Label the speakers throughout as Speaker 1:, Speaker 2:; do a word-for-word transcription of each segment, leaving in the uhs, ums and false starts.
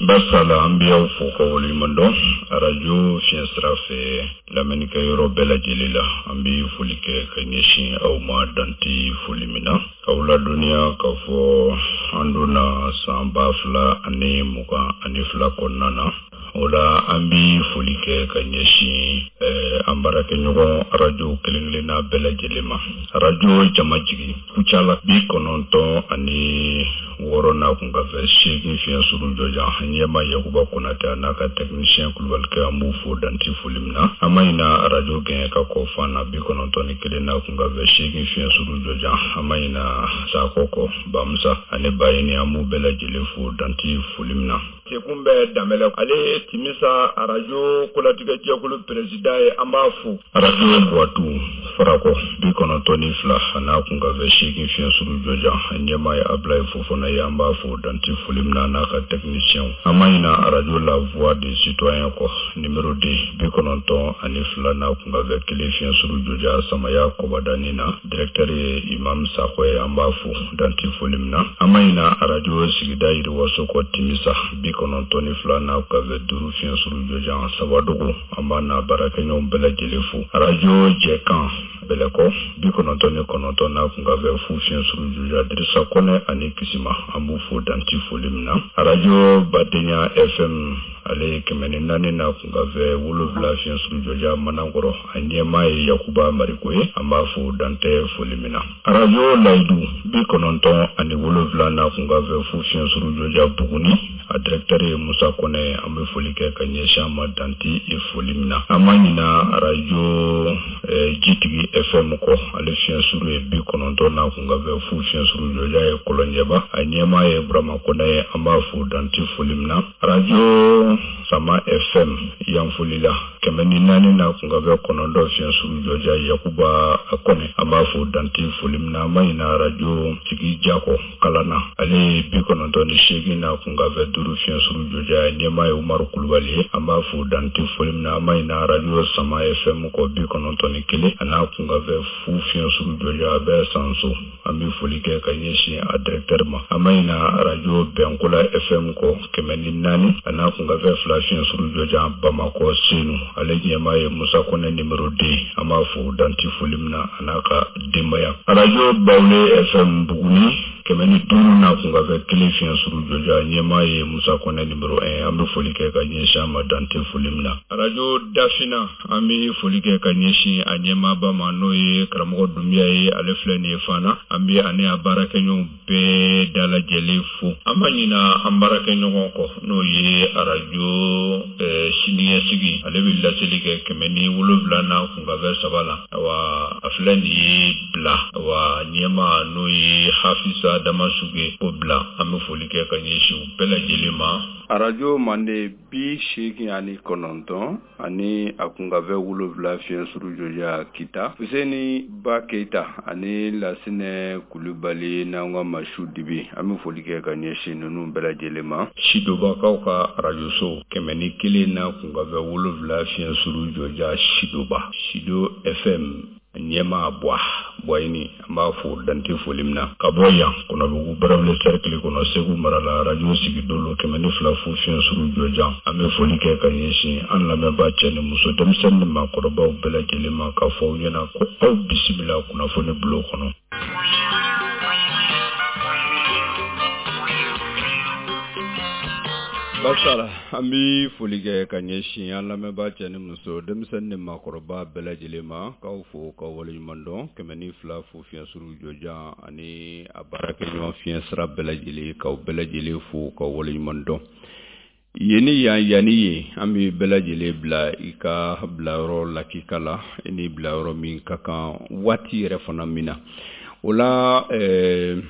Speaker 1: Basala an bɛ aw fo ka waleɲuman dɔn arajo fiɲɛ sira fɛ lamɛnnikɛ yɔrɔ bɛɛ lajɛlen la. An bɛ foli kɛ ka ɲɛsin aw ma danti foli min na, k'aw ladɔnniya k'a fɔ an donna san ba fila ani mugan ani fila kɔnɔna na. O la an bɛ foli kɛ ka ɲɛsin an baarakɛɲɔgɔn arajo kelen-kelenna bɛɛ lajɛlen ma. Arajo Jamajigi Kucala bi kɔnɔntɔn ani wɔɔrɔ n'a kun ka fɛ seegin fiɲɛ suru jɔjan, ɲɛma Yakuba Konatɛ a n'a ka technicien Kulubalikɛ, an b'u fo danti foli min na. An ma ɲina arajo gɛn ka kɔ fan na bi kɔnɔntɔn ni kelen n'a kun ka fɛ seegin fiɲɛ suru jɔjan. An ma ɲina Sakɔ kɔ Bamusa ani Bayini, an b'u bɛɛ lajɛlen fo danti foli min na. Sekun bɛ Danbɛlɛ, ale ye Timisa arajo kolatigɛ jɛkulu président ye, an b'a fo. Arajo Buwatu Farakɔ bi kɔnɔntɔn ni fila a n'a kun ka fɛ seegin fiɲɛ suru jɔjan, ɲɛmaa ye Abulaye Fofana ye, an b'a fo danti foli min na n'a ka technicien. An ma ɲina arajo La Voix des Citoyens kɔ numéro deux bi kɔnɔntɔn ani fila n'a kun ka fɛ kelen fiɲɛ suru jɔjan, Samaya Kɔbadani na, directeur ye Imam Sakɔ ye, an b'a fo danti foli min na. An ma ɲina arajo sigida Yiriwaso kɔ Timisa bi kɔnɔntɔn ni fila n'a kun ka fɛ duuru fiɲɛ suru jɔjan, Sabadogo, an b'a n'a baarakɛɲɔgɔn bɛɛ lajɛlen fo. Arajo Jɛkan Bɛlɛkɔ bi kɔnɔntɔn ni kɔnɔntɔn n'a kun ka fɛ fu fiɲɛ suru jɔjan, Dirisa Kɔnɛ ani Kisima, an b'u fo danti foli min na. Arajo Badenya F M ale ye kɛmɛ ni naani n'a kun ka fɛ wolonwula fiɲɛ suru jɔjan Manankɔrɔ, a ɲɛmaa ye Yakuba Mariko ye, an b'a fo dantɛ foli min na. Arajo Layidu bi kɔnɔntɔn ani wolonwula n'a kun ka fɛ fu fiɲɛ suru jɔjan Buguni, a directeur ye Musa Kɔnɛ, an bɛ foli kɛ ka ɲɛsin a ma danti foli min na. An ma ɲina arajo Jitigi F M kɔ, ale fiɲɛ suru ye bi kɔnɔntɔn n'a kun ka fɛ fu fiɲɛ suru jɔjan ye Kɔlɔnjɛba, a ɲɛmaa ye Burama Kɔnɛ ye, an b'a fo danti foli min na. Arajo Sama F M Yanfolila kɛmɛ ni naani n'a kun ka fɛ kɔnɔntɔn fiɲɛ suru jɔjan Yakuba Kɔnɛ, an b'a fo danti foli min na. An ma ɲina arajo Sigi Jakɔ Kalana, ale ye bi kɔnɔntɔn ni seegin n'a kun ka fɛ duuru fiɲɛ suru jɔjan, ɲɛmaa ye Umaru Kulubali ye, an b'a fo danti foli min na. An ma ɲina arajo Sama F M kɔ bi kɔnɔntɔn ni kelen a n'a kun ka fɛ fu fiɲɛ suru jɔjan, a bɛ Sanso, an bɛ foli kɛ ka ɲɛsin a directeur ma. An ma ɲina arajo Bɛnkola F M kɔ kɛmɛ ni naani a n'a kun ka fɛ fila fiɲɛ suru jɔjan Bamakɔ Senu, ale ɲɛmaa ye Musa Kɔnɛ numéro deux, an b'a fo danti foli min na a n'a ka denbaya. Arajo Bawule F M Buguni kɛmɛ ni duuru n'a kun ka fɛ kelen fiɲɛ suru jɔjan, ɲɛmaa ye Musa Kɔnɛ numéro un, an bɛ foli kɛ ka ɲɛsin a ma dante foli min na. Arajo Dafina, an bɛ foli kɛ ka ɲɛsin a ɲɛmaaba ma, n'o ye karamɔgɔ Dunbiya ye, ale filɛ nin ye fana, an bɛ ani a baarakɛɲɔgɔn bɛɛ dalajɛlen fo. An ma ɲina an baarakɛɲɔgɔn kɔ, n'o ye arajo siniɲɛsigi, ale bɛ laseli kɛ kɛmɛ ni wolonwula n'a kun ka fɛ saba la. Awa a filɛ nin ye bila, awa ɲɛmaa n'o ye Hafisa Damasuge o bila, an bɛ foli kɛ ka ɲɛsin u bɛɛ lajɛlen ma.
Speaker 2: Arajo Mande bi seegin ani kɔnɔntɔn ani a kun ka fɛ wolonwula fiɲɛ suru jɔjan Kita, Fuseni Ba Keita ani Lasinɛ Kulubali n'an ka Masu Dibi, an bɛ foli kɛ ka ɲɛsin ninnu bɛɛ lajɛlen ma.
Speaker 1: Sidobakaw ka arajoso kɛmɛ ni kelen n'a kun ka fɛ wolonwula fiɲɛ suru jɔjan Sidoba, Sido F M ɲɛmaa Buwa Buwayini, an b'a fo dante foli min na. Ka bɔ yan Kɔnɔbugu Barawuli cercle kɔnɔ Segu mara la, arajo Sigidolo kɛmɛ ni fila fu fiɲɛ suru jɔjan, an bɛ foli kɛ ka ɲɛsin an lamɛnbaa cɛ ni muso, denmisɛnnin ni maakɔrɔbaw bɛɛ lajɛlen ma, k'a fɔ aw ɲɛna ko aw bisimila kunnafoni bulon kɔnɔ.
Speaker 2: Basala, an bɛ foli kɛ ka ɲɛsin an lamɛnbaa cɛ ni muso, denmisɛnnin ni maakɔrɔba bɛɛ lajɛlen ma, k'aw fo k'aw waleɲuman dɔn. Kɛmɛ ni fila fo fiɲɛ suru jɔjan ani a baarakɛɲɔgɔn fiɲɛ sira bɛɛ lajɛlen, k'aw bɛɛ lajɛlen fo k'aw waleɲuman dɔn. Yen ni yan, yan ni yen, an bɛ bɛɛ lajɛlen bila i ka bilayɔrɔ lakika la, i ni bilayɔrɔ min ka kan waati yɛrɛ fana min na. O la ɛɛ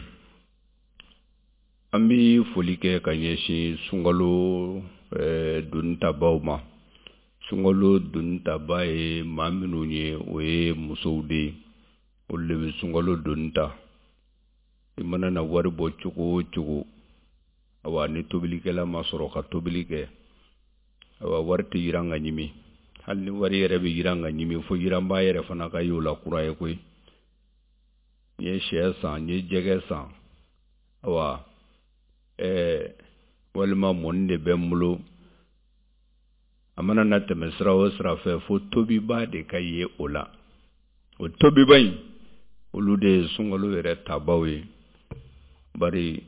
Speaker 2: an bɛ foli kɛ ka ɲɛsin sunkalo donitabaw ma. Sunkalo donitaba ye maa minnu ye, o ye musow de ye, olu de bɛ sunkalo doni ta. I mana na wari bɔ cogo o cogo, awa ni tobilikɛla ma sɔrɔ ka tobili kɛ, awa wari tɛ yiran ka ɲimi. Hali ni wari yɛrɛ bɛ yiran ka ɲimi, fo yiranba yɛrɛ fana ka y'o la kura ye koyi. N ye N ye sɛ san, n ye jɛgɛ san, awa ɛɛ walima mɔni de bɛ n bolo. A mana na tɛmɛ sira o sira fɛ, fo tobiba de ka ye o la. O tobiba in, olu de ye sunkalo yɛrɛ tabaw ye. Bari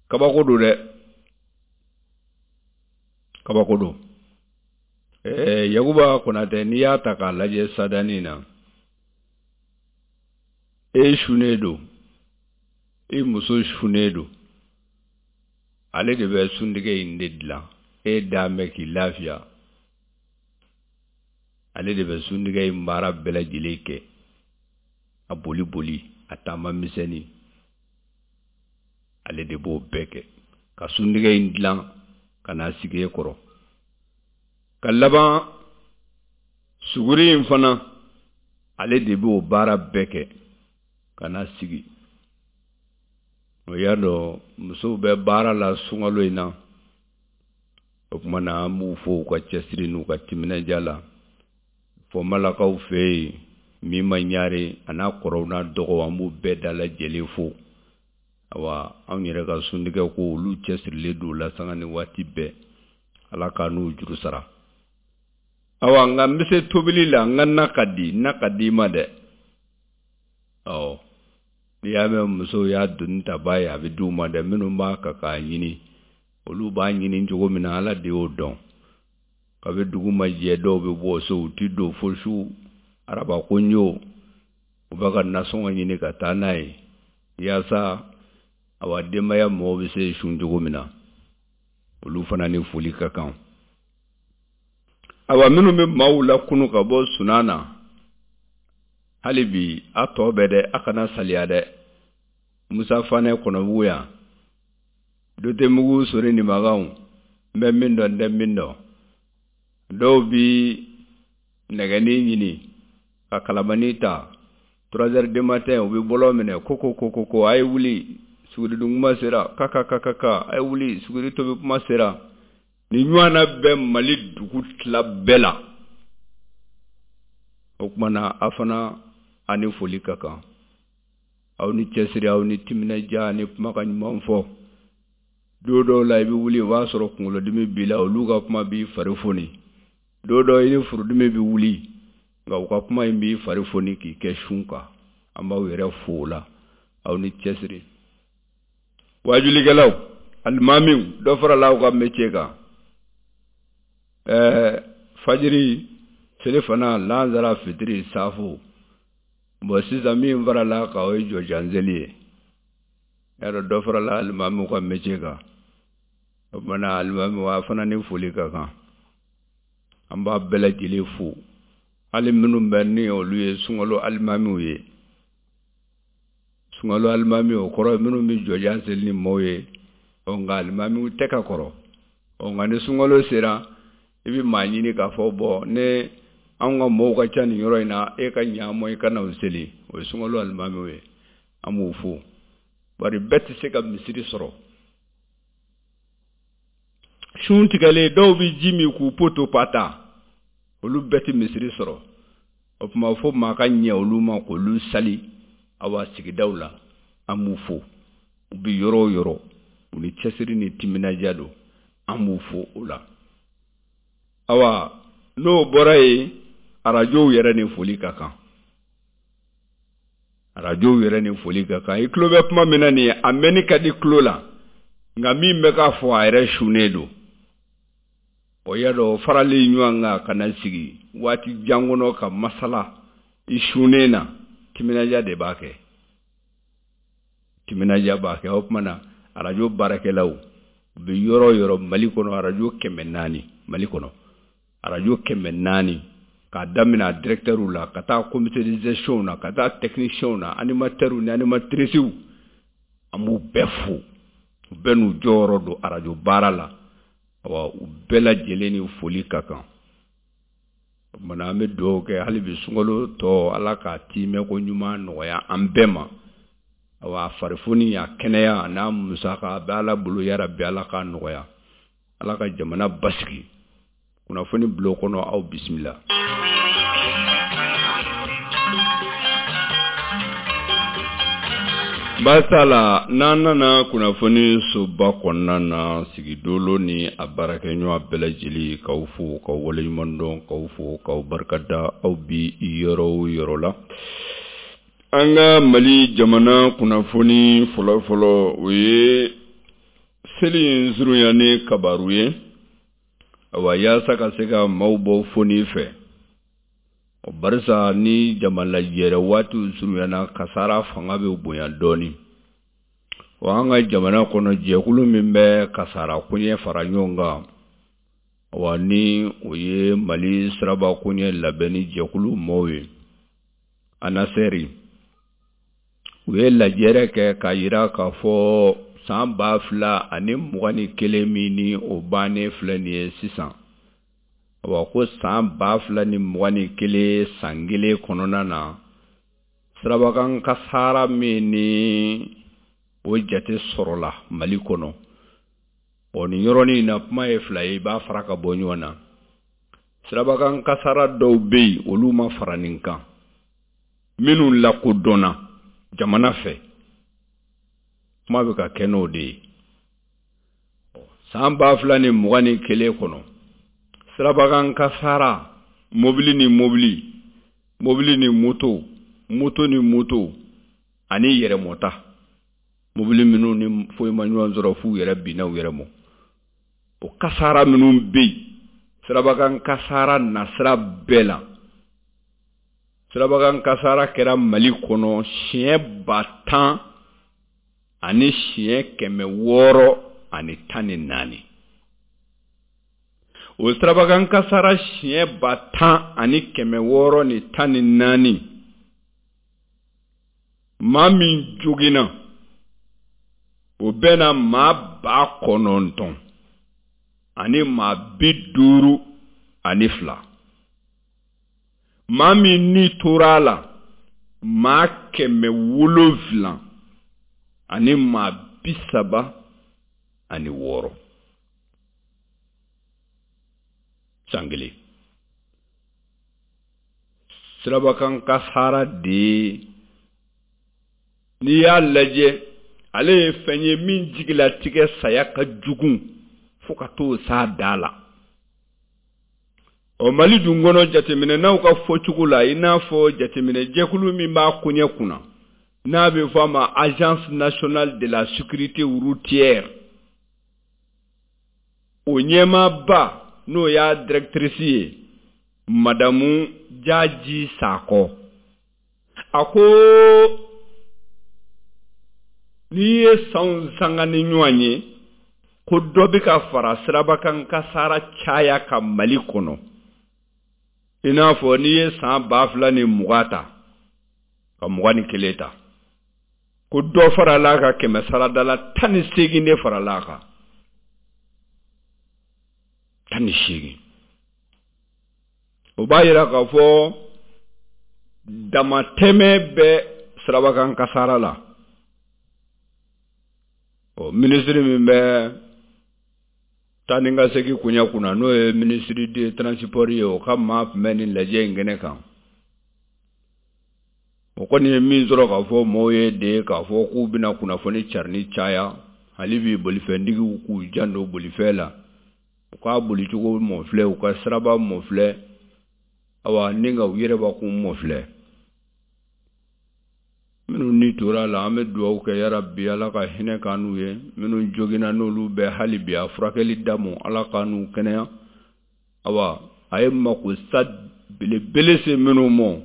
Speaker 2: kabako don dɛ, kabako don. Ɛɛ Yakuba Konatɛ, n'i y'a ta k'a lajɛ sadani na, e sunnen don, i muso sunnen don, ale de bɛ suntigɛ in de dilan. E dan bɛ k'i lafiya, ale de bɛ suntigɛ in baara bɛɛ lajɛlen kɛ, a boli boli, a taama misɛnnin, ale de b'o bɛɛ kɛ ka suntigɛ in dilan ka n'a sigi e kɔrɔ. Ka laban suguri in fana, ale de b'o baara bɛɛ kɛ ka n'a sigi. O y'a dɔn musow bɛ baara la sunkalo in na. O tuma na, an b'u fo u ka cɛsiri n'u ka timinandiya la. Fɔmalakaw fɛ yen, min ma ɲare a n'a kɔrɔw n'a dɔgɔw, an b'u bɛɛ dalajɛlen fo. Awa, anw yɛrɛ ka suntigɛ ko, olu cɛsirilen don la sanga ni waati bɛɛ. Ala k'a n'u juru sara. Awa, nka n bɛ se tobili la, n ka na ka di, na ka di i ma dɛ. Ɔ n'i y'a mɛn musow y'a doni ta ba ye, a bɛ d'u ma dɛ. Minnu b'a kan k'a ɲini, olu b'a ɲini cogo min na, Ala de y'o dɔn. Kabi dugu ma jɛ, dɔw bɛ bɔ so, u ti don fo su araba ko ɲo, u bɛ ka nasɔngɔ ɲini ka taa n'a ye, yaasa awa denbaya mɔgɔw bɛ se sun cogo min na. Olu fana ni foli ka kan. Awa, minnu bɛ maaw lakunu ka bɔ sunan na, hali bi a tɔ bɛ dɛ, a kana saliya dɛ. Musa Fanɛ Kɔnɔbugu yan, Dotemugu sori ni makanw, n bɛ min dɔn, n tɛ min dɔn. Dɔw bi nɛgɛnin ɲini ka kalamani ta, trois heures du matin, u bɛ bɔlɔ minɛ ko ko ko ko ko a ye wuli, suguridun kuma sera, ka ka ka ka ka, a ye wuli, suguri tobi kuma sera. Ni ɲɔgɔnna bɛ Mali dugu tila bɛɛ la. O tuma na, a fana a ni foli ka kan. Aw ni cɛsiri, aw ni timinandiya, ni kumakan ɲuman fɔ. Don dɔw la, i bɛ wuli, o b'a sɔrɔ kunkolodimi b'i la, olu ka kuma b'i fari foni. Don dɔw, i ni furudimi bɛ wuli, nka u ka kuma in b'i fari foni k'i kɛ sun kan. An b'aw yɛrɛ fo o la, aw ni cɛsiri. Wajulikɛlaw, alimamiw, dɔ farala aw ka métier kan. Ɛɛ fajiri, selifana, lansara, fitiri, safo. Bon, sisan min farala kan, o ye jɔjanzeli ye. Y'a dɔn dɔ farala alimamiw ka métier kan. O tuma na, alimamiw, a fana ni foli ka kan. An b'a bɛɛ lajɛlen fo, hali minnu bɛ ni olu ye sunkalo alimamiw ye. Sunkalo alimami, o kɔrɔ ye minnu bɛ jɔjan seli ni maaw ye. Ɔ nka alimamiw tɛ ka kɔrɔ. Ɔ nka ni sunkalo sera, i bɛ maa ɲini k'a fɔ bɔn, ne anw ka mɔɔw ka ca nin yɔrɔ in na, e ka ɲa mɔ, i ka na u seli. O ye sunkalo alimamiw ye, an b'u fo. Bari bɛɛ tɛ se ka misiri sɔrɔ. Sun tigɛlen, dɔw bɛ ji min k'u poto pata, olu bɛɛ tɛ misiri sɔrɔ. O tuma, fo maa ka ɲɛ olu ma k'olu sali. Awa, sigidaw la, an b'u fo. U bɛ yɔrɔ o yɔrɔ, u ni cɛsiri ni timinandiya don, an b'u fo o la. Awa, n'o bɔra yen, arajow yɛrɛ ni foli ka kan. Arajow yɛrɛ ni foli ka kan. I tulo bɛ kuma min na nin ye, a mɛnni ka di tulo la, nka min bɛ k'a fɔ, a yɛrɛ sunnen don. O y'a dɔn, faralen ɲɔgɔn kan ka na sigi waati jan kɔnɔ ka masala i sunnen na, timinandiya de b'a kɛ, timinandiya b'a kɛ. O tuma na, arajo baarakɛlaw u bɛ yɔrɔ o yɔrɔ Mali kɔnɔ, arajo kɛmɛ naani Mali kɔnɔ, arajo kɛmɛ naani, k'a daminɛ a directeur la ka taa comité de gestion na, ka taa technicien na, animateurs ni animatrices, an b'u bɛɛ fo. U bɛɛ n'u jɔyɔrɔ don arajo baara la. Awa, u bɛɛ lajɛlen ni foli ka kan. O tuma na, an bɛ dugawu kɛ hali bi, sunkalo tɔ, Ala k'a timɛ ko ɲuman nɔgɔya an bɛɛ ma. Awa, a farifoni, a kɛnɛya n'a musaka, a bɛ Ala bolo. Yarabi, Ala k'a nɔgɔya. Ala ka jamana basigi. Kunnafoni bulon kɔnɔ, aw bisimila.
Speaker 1: Basala n'an nana kunnafoni soba kɔnɔna na sigidolo ni a baarakɛɲɔgɔn bɛɛ lajɛlen k'aw fo k'aw waleɲuman dɔn k'aw fo k'aw barikada aw bi yɔrɔ o yɔrɔ la. An ka Mali jamana kunnafoni fɔlɔfɔlɔ o ye seli in surunya ni kabaru ye awa yaasa ka se ka maaw bɔ foni fɛ o barisa ni jama lajɛrɛ waatiw surunyana kasara fanga bɛ bonya dɔɔnin. Wa an ka jamana kɔnɔ jɛkulu min bɛ kasara koɲɛ fara ɲɔgɔn kan wa ni o ye Mali siraba koɲɛ labɛnni jɛkulu maaw ye ANASER u ye lajɛrɛ kɛ k'a yira k'a fɔ san ba fila ani mugan ni kelen min ni o bannen filɛ nin ye sisan awa ko san ba fila ni mugan ni kelen san kelen kɔnɔna na sirabakan kasara min ni o jate sɔrɔla Mali kɔnɔ o nin yɔrɔnin na kuma ye fila ye i b'a fara ka bɔ ɲɔgɔn na sirabakan kasara dɔw bɛ yen olu ma fara nin kan minnu lakodɔnna jamana fɛ kuma bɛ ka kɛ n'o de ye san ba fila ni mugan ni kelen kɔnɔ sirabakan kasara mobili ni mobili mobili ni moto moto ni moto ani yɛrɛmɔta mobili minnu ni foyi ma ɲɔgɔn sɔrɔ f'u yɛrɛ binna u yɛrɛ mɔ o kasara minnu bɛ yen sirabakan kasara nasira bɛɛ la sirabakan kasara kɛra Mali kɔnɔ siɲɛ ba tan ani siɲɛ kɛmɛ wɔɔrɔ ani tan ni naani o sirabakan kasara siɲɛ ba tan ani kɛmɛ wɔɔrɔ ni tan ni naani maa min joginna o bɛna maa ba kɔnɔntɔn ani maa bi duuru ani fila maa min ni tora a la maa kɛmɛ wolonfila ani maa bi saba ani wɔɔrɔ san kelen sirabakan kasara de ye n'i y'a lajɛ ale ye fɛn ye min jigilatigɛ saya ka jugu fo ka t'o s'a da la ɔ Mali dun kɔnɔ jateminɛnaw ka fɔcogo la i n'a fɔ jateminɛjɛkulu min b'a koɲɛ kunna n'a bɛ fɔ a ma Agence nationale de la sécurité routière o ɲɛmaaba n'o y'a directrice ye madamu Jaji Sakɔ a ko n'i ye sanw sanga ni ɲɔgɔn ye ko dɔ bɛ ka fara sirabakan kasara caya ka Mali kɔnɔ i n'a fɔ n'i ye san ba fila ni mugan ta ka mugan ni kelen ta ko dɔ farala a kan kɛmɛ sarada la tan ni seegin de farala a kan tan ni seegin o b'a yira k'a fɔ damatɛmɛ bɛ sirabakan kasara la ɔ minisiri min bɛ taa ni ka segin koɲɛ kunna n'o ye minisiri de transport ye o ka maa tun bɛ nin lajɛ in kɛnɛ kan o kɔni ye min sɔrɔ k'a fɔ maaw ye de k'a fɔ k'u bɛna kunnafoni carinni caya hali bi bolifɛntigiw k'u janto bolifɛn la u k'a bolicogo mɔfilɛ u ka siraba mɔfilɛ awa ni ka u yɛrɛbakun mɔfilɛ minnu ni tora la an bɛ dugawu kɛ yarabi Ala ka hinɛ k'an n'u ye minnu joginna n'olu bɛ hali bi a furakɛli damu Ala k'an n'u kɛnɛya awa a ye makosa belebele se minnu ma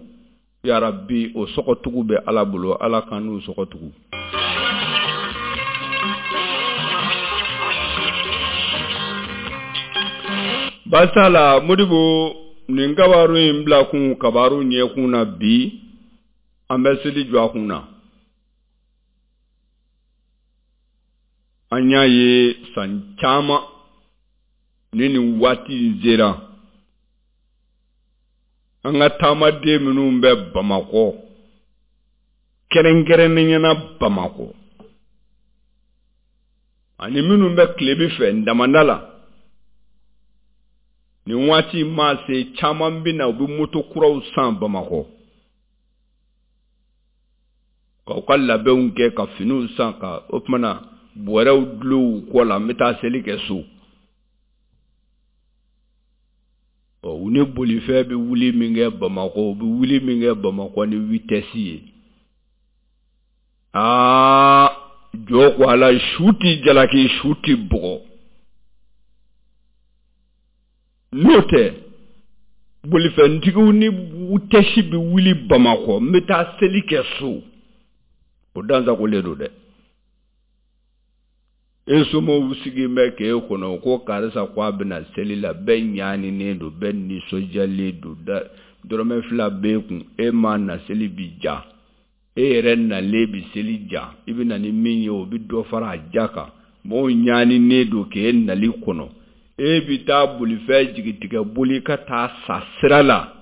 Speaker 1: yarabi o sɔgɔtugu bɛ Ala bolo Ala k'an n'u sɔgɔtugu. Basala Modibo nin kabaru in bila kun kabaru ɲɛkun na bi an bɛ seli jɔ a kun na an y'a ye san caman ni nin waati in sera an ka taamaden minnu bɛ Bamakɔ kɛrɛnkɛrɛnnenya na Bamakɔ ani minnu bɛ tilebin fɛ damanda la nin waati maa se caman bɛ na u bɛ moto kuraw san Bamakɔ
Speaker 2: K'aw ka labɛnw kɛ ka finiw san ka o tuma na bɔrɛw dulon u kɔ la, n bɛ taa seli kɛ so. Ɔ u ni bolifɛn bɛ wuli min kɛ Bamakɔ, u bɛ wuli min kɛ Bamakɔ ni vitesse ye. Aa jɔ ko ala, su ti jalaki, su ti bugɔ. N'o tɛ bolifɛntigiw ni vitesse bɛ wuli Bamakɔ, n bɛ taa seli kɛ so. O dansagolen don dɛ. E somɔgɔw sigilen bɛ k'e kɔnɔ ko karisa ko a bɛna seli la, bɛɛ ɲaninen don, bɛɛ nisɔndiyalen don, dɔrɔmɛ fila b'e kun, e ma na seli bi ja. E yɛrɛ nalen bi seli ja, i bɛ na ni min ye o bɛ dɔ fara a ja kan. Mɔgɔw ɲaninen don k'e nali kɔnɔ. E bɛ taa bolifɛn jigitigɛ boli ka taa sa sira la.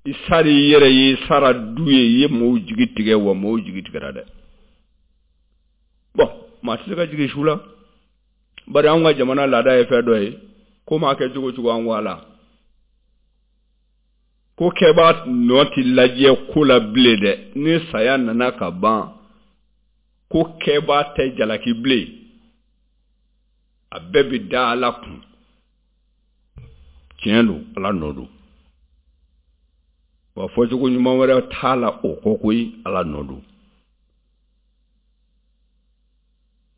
Speaker 2: I sara i yɛrɛ ye, i sara du ye, i ye mɔgɔw jigi tigɛ, wa mɔgɔw jigi tigɛra dɛ. Bon, maa tɛ se ka jigin su la. Bari anw ka jamana laada ye fɛn dɔ ye, ko maa kɛ cogo cogo an ko ala. Ko kɛbaa nɔ tɛ lajɛ ko la bilen dɛ. Ni saya nana ka ban, ko kɛbaa tɛ jalaki bilen. A bɛɛ bɛ da ala kun. Tiɲɛ don, ala nɔ don. Wa fɔcogo ɲuman wɛrɛ t'a la o kɔ koyi, ala nɔ don.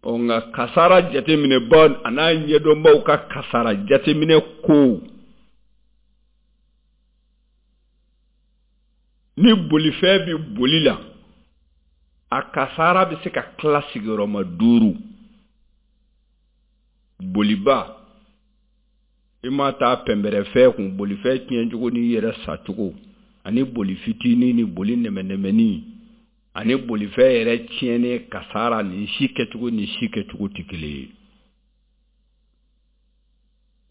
Speaker 2: Ɔ nka kasara jateminɛbaw a n'a ɲɛdɔnbaw ka kasara jateminɛ ko ni bolifɛn bɛ boli la, a kasara bɛ se ka tila sigiyɔrɔma duuru. Boliba, i ma taa pɛnbɛrɛfɛn kun, bolifɛn tiɲɛcogo n'i yɛrɛ sacogo, ani boli fitinin ni boli nɛmɛnɛmɛni, ani bolifɛn yɛrɛ tiɲɛnen kasara, nin si kɛcogo ni si kɛcogo tɛ kelen ye.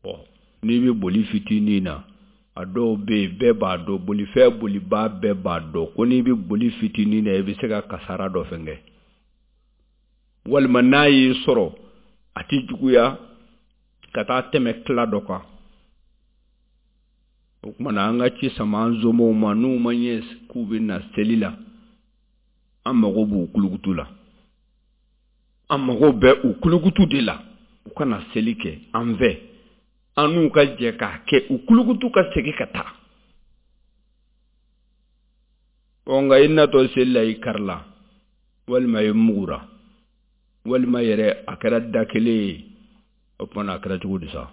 Speaker 2: Ɔ n'i bɛ boli fitinin na, a dɔw bɛ yen bɛɛ b'a dɔn, bolifɛn bolibaa bɛɛ b'a dɔn ko n'i bɛ boli fitinin na i bɛ se ka kasara dɔ fɛnkɛ. Walima n'a y'i sɔrɔ a tɛ juguya ka taa tɛmɛ tila dɔ kan. O tuma na an ka ci sama an somɔgɔw ma, n'u ma ɲɛ k'u bɛ na seli la, an mago b'u kulukutu la. An mago bɛ u kulukutu de la, u kana seli kɛ an fɛ. An n'u ka jɛ k'a kɛ, u kulukutu ka segin ka taa. Ɔ nka i natɔ seli la i karila, walima i mugura, walima yɛrɛ a kɛra da kelen ye, o tuma na a kɛra cogo di sa?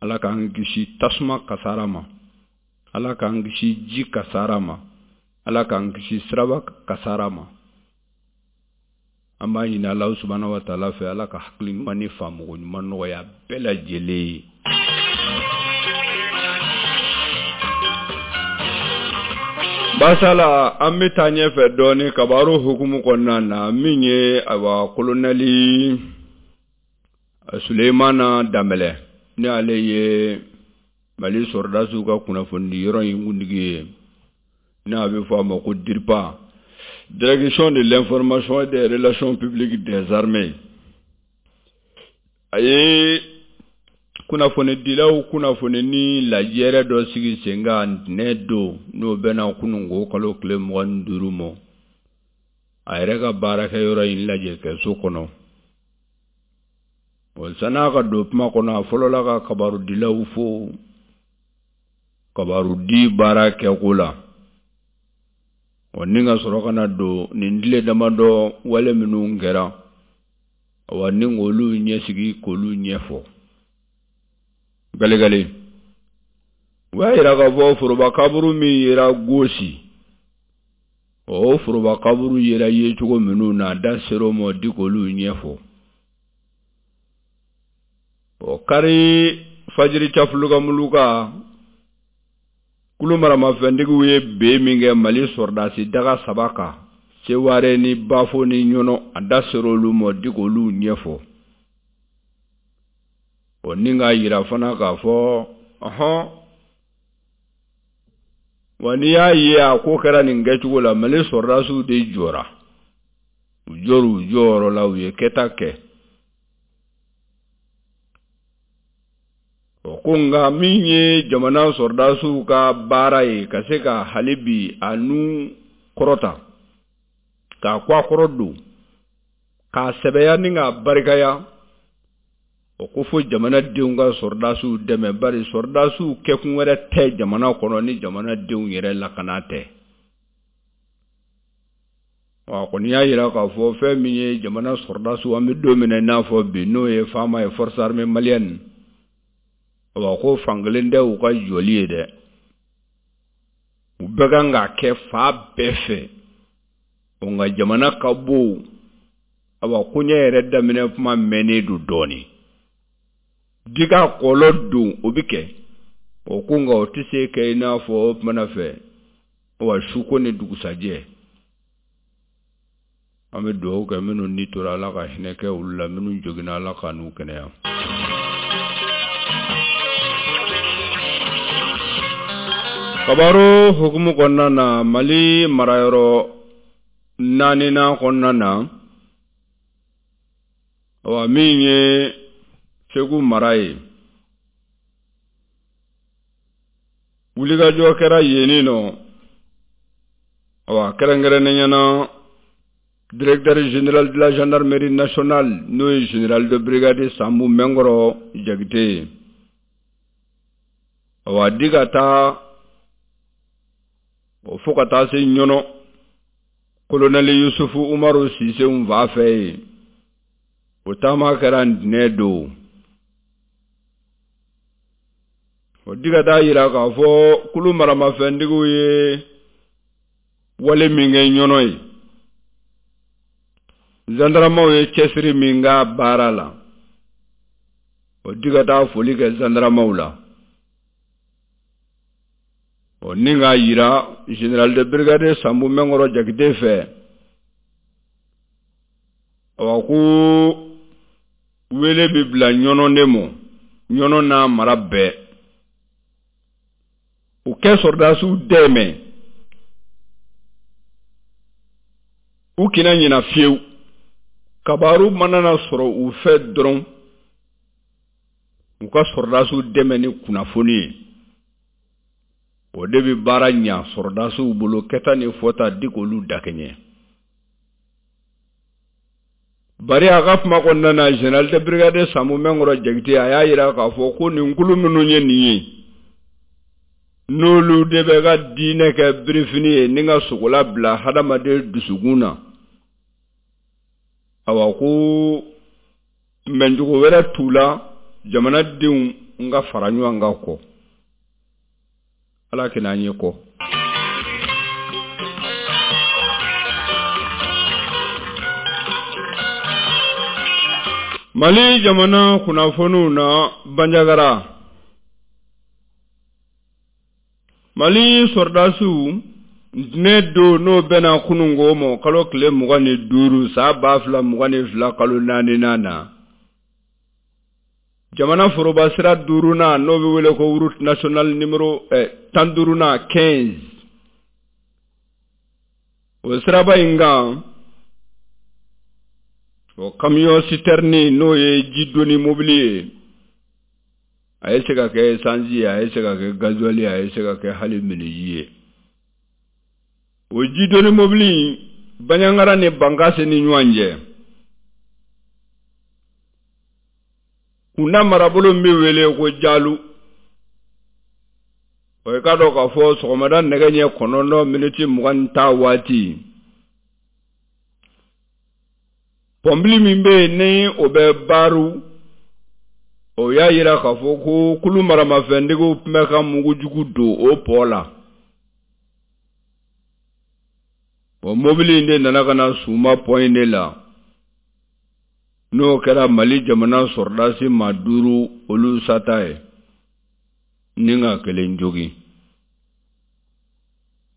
Speaker 2: Ala k'an kisi tasuma kasara ma, Ala k'an kisi ji kasara ma, Ala k'an kisi siraba kasara ma. An b'a ɲini Alahu subahana wa taala fɛ, Ala ka hakili ɲuman ni faamuko ɲuman nɔgɔya bɛɛ lajɛlen ye. Basala, an bɛ taa ɲɛfɛ dɔɔnin kabaru hukumu kɔnɔna na, min ye ayiwa kolonɛli Sulemana Danbɛlɛ, ni ale ye Mali sɔrɔdasiw ka kunnafoni yɔrɔ in kuntigi ye, n'a bɛ fɔ a ma ko DIRPA, Direction de l'information et des relations publiques des armées. A ye kunnafonidilaw kunnafoni ni lajɛrɛ dɔ sigi sen kan ntɛnɛn don, n'o bɛnna kununko kalo tile mugan ni duuru ma, a yɛrɛ ka baarakɛyɔrɔ in lajɛ kɛso kɔnɔ. O san'a ka don kuma kɔnɔ, a fɔlɔla ka kabarudilaw fo kabarudi baara kɛko la. O ni ka sɔrɔ ka na don nin tile damadɔ wale minnu kɛra, awa ni k'olu ɲɛsigi k'olu ɲɛfɔ. Galegale, u y'a yira k'a fɔ foroba kaburu min yera Gosi, o foroba kaburu yera yecogo minnu na, a da ser'o ma di k'olu ɲɛfɔ. O kari fajiri cafulukamuluka kulu maramafɛntigiw ye ben min kɛ Mali sɔrɔdasi daga saba kan, Seware ni Bafo ni Ɲɔnɔ, a da ser'olu ma di k'olu ɲɛfɔ. O ni k'a yira fana k'a fɔ ɔhɔn, wa n'i y'a ye a ko kɛra nin kɛcogo la, Mali sɔrɔdasiw de jɔra, u jɔr'u jɔyɔrɔ la, u ye kɛta kɛ. O ko nka min ye jamana sɔrɔdasiw ka baara ye ka se ka hali bi a nu kɔrɔta, K'a kɔ a kɔrɔ don, k'a sɛbɛya ni k'a barikaya, o ko fo jamanadenw ka sɔrɔdasiw dɛmɛ, bari sɔrɔdasiw kɛkun wɛrɛ tɛ jamana kɔnɔ ni jamanadenw yɛrɛ lakana tɛ. Wa kɔni y'a jira k'a fɔ fɛn min ye jamana sɔrɔdasiw, an bɛ don min na i n'a fɔ bi, n'o ye FAMa ye, Force Armée Malienne, wa ko fankelen tɛ u ka jɔli ye dɛ, u bɛɛ kan k'a kɛ fa bɛɛ fɛ. Nka jamana ka bon, awa koɲɛ yɛrɛ daminɛ kuma mɛnnen don dɔɔnin, di ka kɔlɔ don o bɛ kɛ o ko, nka o tɛ se kɛ i n'a fɔ o kumana fɛ wa suko ni dugusajɛ. An bɛ dugawu kɛ minnu ni tora, Ala ka hinɛ kɛ olu la, minnu joginna, Ala ka n'u kɛnɛya. Kabaro hukumu kɔnɔna na, Mali marayɔrɔ naaninan kɔnɔna na, awa min ye Segu mara ye, wulikajɔ kɛra yenni nɔ, awa kɛrɛnkɛrɛnnenya na directeur général de la gendarmerie nationale, n'o ye général de brigade Sanbu Mɛnkɔrɔ Jakite ye, awa di ka taa o fo ka taa se Ɲɔnɔ colonel Yusufu Umaru Sise fa fɛ yen, o taama kɛra ntɛnɛn don. O di ka taa yira k'a fɔ kulu maramafɛntigiw ye wale min kɛ Ɲɔnɔ ye, zandaramaw ye cɛsiri min k'a baara la, o di ka taa foli kɛ zandaramaw la. O ni k'a yira général de brigade Sanbu Mɛnkɔrɔ Jakite fɛ, awa ko wele bɛ bila Ɲɔnɔ de mɔ, Ɲɔnɔ n'a mara bɛɛ, u kɛ sɔrɔdasiw dɛmɛ, u kana ɲina fiyewu, kabaru mana na sɔrɔ u fɛ dɔrɔn, u ka sɔrɔdasiw dɛmɛ ni kunnafoni ye. O de bɛ baara ɲa sɔrɔdasiw bolo, kɛta ni fɔta di k'olu dakɛɲɛ. Bari a ka kuma kɔnɔna na, général de brigade Sanbu Mɛnkɔrɔ Jakite a y'a jira k'a fɔ ko nin kulu minnu ye nin ye, n'olu de bɛ ka diinɛ kɛ birifini ye ni ka sogola bila hadamaden dusukun na, awa ko mɛncogo wɛrɛ t'u la, jamanadenw n ka fara ɲɔgɔn kan kɔ. Ala kana an ye kɔ. Mali jamana kunnafoniw na, Banjagara, Mali sɔrɔdasiw ntɛnɛn don, n'o bɛnna kununko ma, kalo tile mugan ni duuru san ba fila mugan ni fila kalo naaninan na, jamana foroba sira duurunan, n'o bɛ wele ko route nationale numéro eh, tan duurunan quinze, o siraba in kan, o camion citerne, n'o ye jidoni mobili ye, a ye se ka kɛ essence ye, a ye se ka kɛ gasoil ye, a ye se ka kɛ hali miniji ye. O jidoni mobili Banjagara ni Bankasi ni ɲɔgɔn cɛ, kunda marabolo min bɛ wele ko Jalu, o ye k'a dɔn k'a fɔ sɔgɔmada nɛgɛ ɲɛ kɔnɔntɔn miniti mugan ni tan waati, pɔnpili min bɛ yen ni o bɛ Baaru, o y'a jira k'a fɔ ko kulu maramafɛntigiw tun bɛ ka mugujugu don o pɔ la. O mobili in de nana ka na suma pɔn in de la, n'o kɛra Mali jamana sɔrɔdasi maa duuru olu sata ye, ni ka kelen jogin.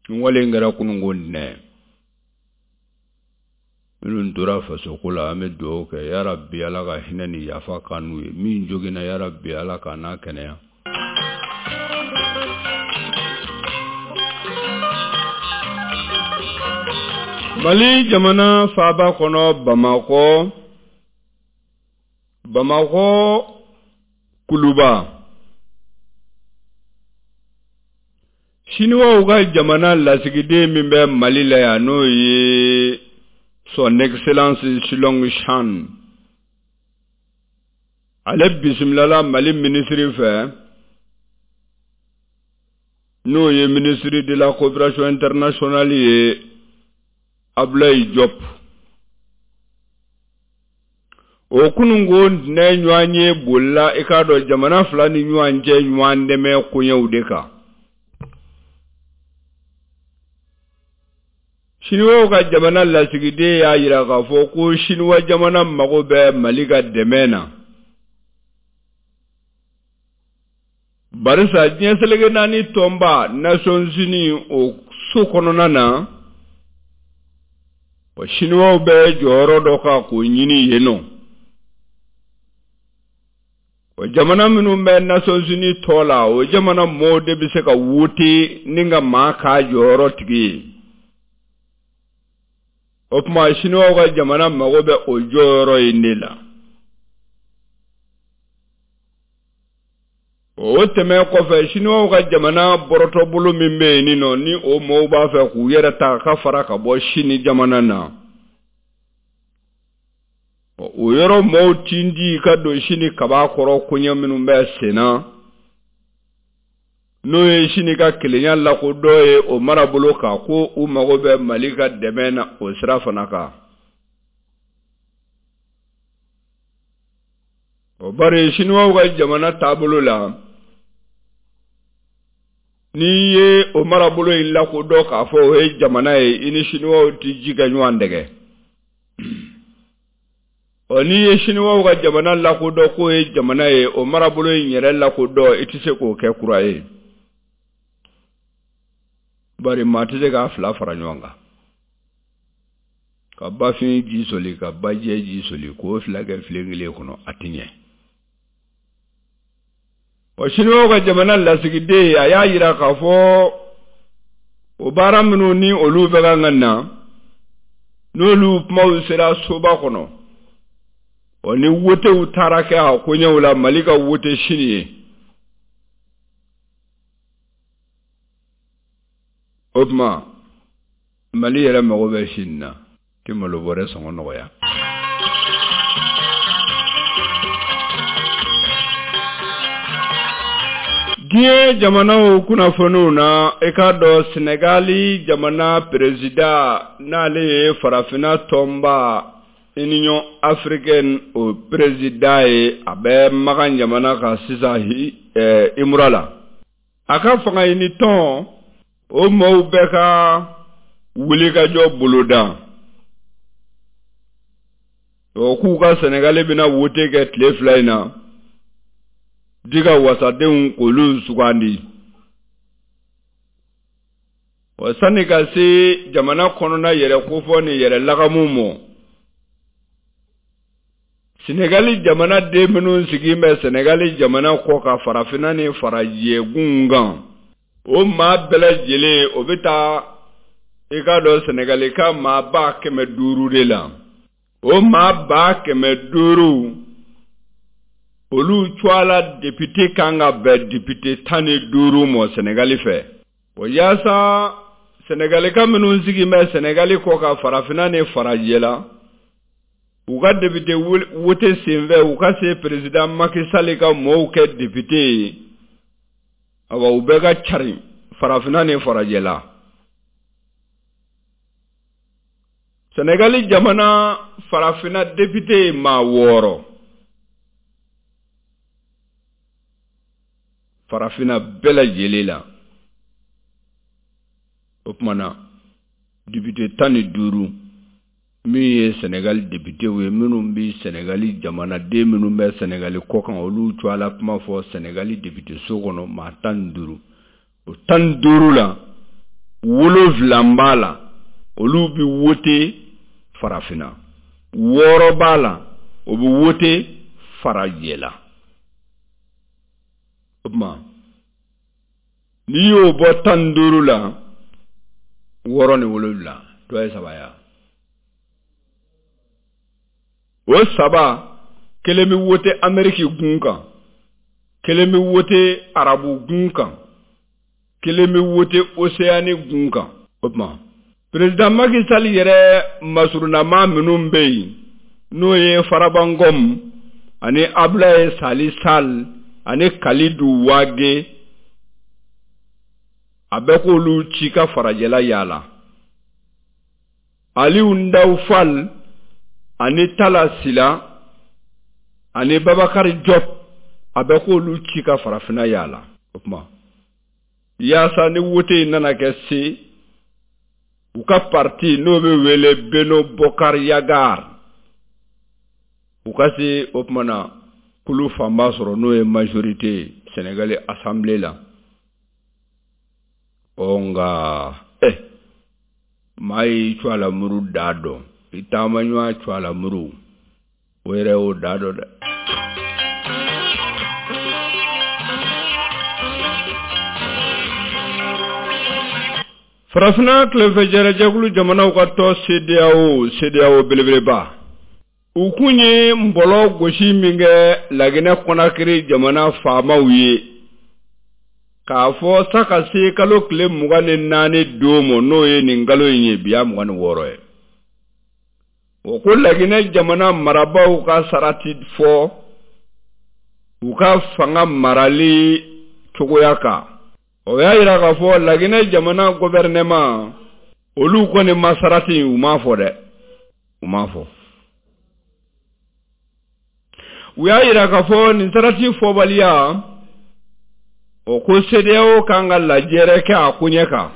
Speaker 2: N wale in kɛra kununko ntɛnɛn. Minnu tora fasoko la, an bɛ dugawu kɛ, yarabi Ala ka hinɛ ni yafa k'an n'u ye, min joginna yarabi Ala k'a n'a kɛnɛya. Mali jamana faaba kɔnɔ Bamakɔ, Bamakɔ Kuluba, Siniwaw ka jamana lasigiden min bɛ Mali la yan, n'o ye Son Excellence Shilong Shan, ale bisimilala Mali minisiri fɛ, n'o ye ministre de la coopération internationale ye, Abdoulaye Diop. O kununko ntɛnɛn ɲɔgɔn ye bolila i k'a dɔn jamana fila ni ɲɔgɔn cɛ ɲɔgɔn dɛmɛ koɲɛw de kan. Siniwaw ka jamana lasigiden y'a jira k'a fɔ ko Siniwa jamana mago bɛ Mali ka dɛmɛ na. Barisa diɲɛ seleke naani tɔnba Nations Unies o so kɔnɔna na, o Siniwaw bɛ jɔyɔrɔ dɔ kan k'o ɲini yen nɔ. O jamana minnu bɛ Nations Unies tɔ la, o jamana mɔɔw de bɛ se ka wote ni ka maa k'a jɔyɔrɔ tigi ye. O tuma Siniwaw ka jamana mago bɛ o jɔyɔrɔ in de la. O tɛmɛ kɔfɛ, Siniwaw ka jamana bɔrɔtɔbolo min bɛ yen nɔ, ni o mɔɔw b'a fɛ k'u yɛrɛ ta ka fara ka bɔ Sini jamana na, o yɔrɔ mɔɔw tindi ka don Sini kaba kɔrɔ koɲɛ minnu bɛ sen na, n'o ye Sini ka kelenya lakodɔn ye o marabolo kan, ko u mago bɛ Mali ka dɛmɛ na o sira fana kan. O bari Siniwaw ka jamana taabolo la, n'i ye o marabolo in lakodɔn k'a fɔ o ye jamana ye, i ni Siniwaw ti ji kɛ ɲɔgɔn dɛgɛ. Ɔ n'i ye Siniwaw ka jamana lakodɔn k'o ye jamana ye, o marabolo in yɛrɛ lakodɔn, i tɛ se k'o kɛ kura ye. Bari maa tɛ se k'a fila fara ɲɔgɔn kan. Ka bafin ji soli, ka bajɛ ji soli, k'o fila kɛ filen kelen kɔnɔ, a tɛ ɲɛ. Ɔ Siniwaw ka jamana lasigiden, a y'a jira k'a fɔ o baara minnu ni olu bɛ kan ka na, n'olu kumaw sera soba kɔnɔ, ɔ ni wotew taara kɛ a koɲɛw la, Mali ka wote sini ye. O tuma Mali yɛrɛ mago bɛ sini na, ti malo bɔrɛ sɔngɔ nɔgɔya. Diɲɛ jamanaw kunnafoniw na, i k'a dɔn Senegali jamana perezida, n'ale ye farafinna tɔnba Union africaine o perezida ye, a bɛ Makan jamana kan sisan Imura la. A ka fanga ɲini tɔn, o mɔɔw bɛ ka wulikajɔ boloda. O k'u ka Senegali bɛna wote kɛ tile fila in na, di ka wasadenw k'olu sugandi. Wa sani ka se jamana kɔnɔna yɛrɛ kofɔ ni yɛrɛ lagamu mɔ, Senegali jamana den minnu sigilen bɛ Senegali jamana kɔ kan farafinna ni farajɛgun kan, o maa bɛɛ lajɛlen o bɛ taa i k'a dɔn Senegali ka maa ba kɛmɛ duuru de la. O maa ba kɛmɛ duuru, olu cogoya député kan ka bɛn député tan ni duuru mɔ Senegali fɛ. O yaasa Senegali ka minnu sigilen bɛ Senegali kɔ kan farafinna ni farajɛ la, u ka député wote senfɛ, u ka se président Macky Sall ka mɔɔw kɛ député ye, awa u bɛɛ ka cari farafinna ni farajɛ la. Senegali jamana farafinna député ye maa wɔɔrɔ, farafinna bɛɛ lajɛlen la. O tuma na député tan ni duuru min ye Senegali députéw ye, minnu bɛ Senegali jamanaden minnu bɛ Senegali kɔ kan, olu cogoya la kuma fɔ Senegali député so kɔnɔ maa tan ni duuru. O tan ni duuru la, wolonwula b'a la, olu bɛ wote farafinna, wɔɔrɔ b'a la, o bɛ wote farajɛ la. O tuma n'i y'o bɔ tan ni duuru la, wɔɔrɔ ni wolonwula, tɔ ye saba ye. O saba, kelen bɛ wote Ameriki gun kan, kelen bɛ wote Arabu gun kan, kelen bɛ wote Océanie gun kan. O tuma Président Macky Sall yɛrɛ masurunama minnu bɛ yen, n'o ye Farba Ngom ani Abdoulaye Sali Sall ani Kalidou Wage, a bɛ k'olu ci ka farajɛla yaala. Aliou Ndao Fall ani Talla Sylla ani Babacar Diop, a bɛ k'olu ci ka farafinna yaala. O tuma yaasa ni wote in nana kɛ se, u ka parti n'o bɛ wele Benno Bokk Yakaar, u ka se o tuma na kulu fanba sɔrɔ, n'o ye majorité Sénégal assemblée la. Ɔ nka eh maa y'i cu a la muru da dɔn, i taama ɲɔgɔn cu a la muru, o yɛrɛ y'o da dɔn dɛ. Farafinna tilefɛjɛrɛjɛkulu jamanaw ka tɔn CEDEAO, CEDEAO belebeleba, u kun ye nbɔlɔ gosi min kɛ Laginɛ Conakry jamana faamaw ye, k'a fɔ sa ka se kalo tile mugan ni naani don ma, n'o ye nin kalo in ye, bi y'a mugan ni wɔɔrɔ ye. O ko Laginɛ jamana marabaaw ka sarati fɔ u ka fanga marali cogoya kan. O y'a yira k'a fɔ Laginɛ jamana gouvernement olu kɔni ma sarati, u m'a fɔ dɛ, u m'a fɔ. U y'a yira k'a fɔ nin sarati fɔbaliya, o ko CEDEAO kan ka lajɛrɛ kɛ a koɲɛ kan.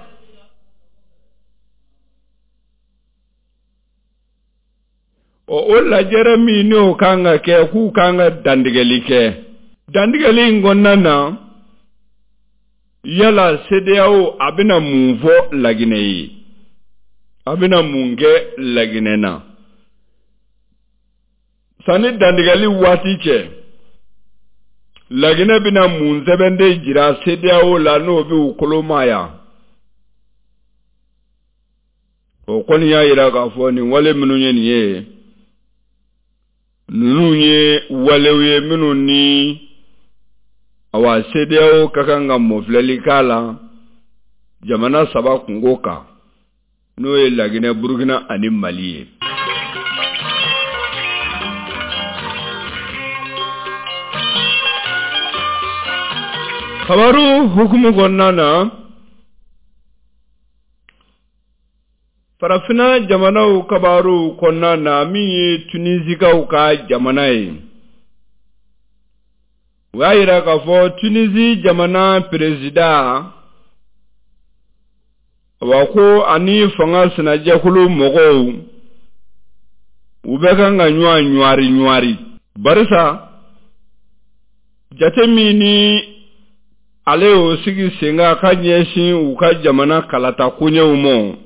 Speaker 2: Ɔ o lajɛrɛ min n'o kan ka kɛ, k'u kan ka dantigɛli kɛ. Dantigɛli in kɔnɔna na, yala CEDEAO a bɛna mun fɔ Laginɛ ye, a bɛna mun kɛ Laginɛ na sanni dantigɛli waati cɛ? Laginɛ bɛna mun sɛbɛnden jira CEDEAO la n'o bɛ u kolomaya? O kɔni y'a yira k'a fɔ nin wale minnu ye nin ye, ninnu ye walew ye minnu ni awa CEDEAO ka kan ka mɔfilɛli k'a la jamana saba kungo kan, n'o ye Laginɛ, Burukina ani Mali ye. Kabaru hukumu kɔnɔna na, farafinna jamanaw kabaru kɔnɔna na, min ye Tunisikaw ka jamana ye, u y'a yira k'a fɔ Tunisi jamana perezida, wa ko ani fanga sinajɛkulu mɔgɔw u bɛ kan ka ɲɔgɔn ɲwari ɲwari, barisa jate min ni ale y'o sigi sen kan ka ɲɛsin u ka jamana kalata koɲɛw ma,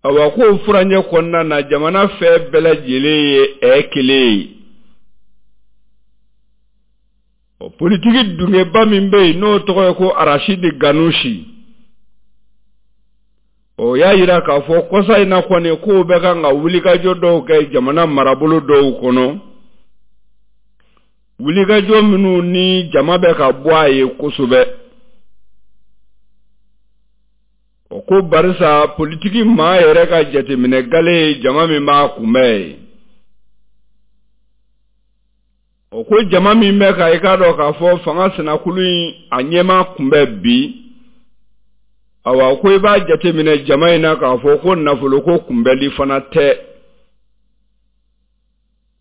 Speaker 2: awa k'o furancɛ kɔnɔna na jamana fɛn bɛɛ lajɛlen ye ɛ kelen ye. Ɔ politiki dungeba min bɛ yen n'o tɔgɔ ye ko Arachide Ghannouchi, o y'a yira k'a fɔ kɔsa in na kɔni k'o bɛ kan ka wulikajɔ dɔw kɛ jamana marabolo dɔw kɔnɔ, wulikajɔ minnu ni jama bɛ ka bɔ a ye kosɛbɛ. O ko barisa politiki maa yɛrɛ ka jateminɛ gale ye jama min b'a kunbɛn ye. O ko jama min bɛ ka i k'a dɔn k'a fɔ fanga sinakulu in a ɲɛmaa kunbɛn bi, awa ko i b'a jateminɛ jama in na k'a fɔ ko nafoloko kunbɛli fana tɛ.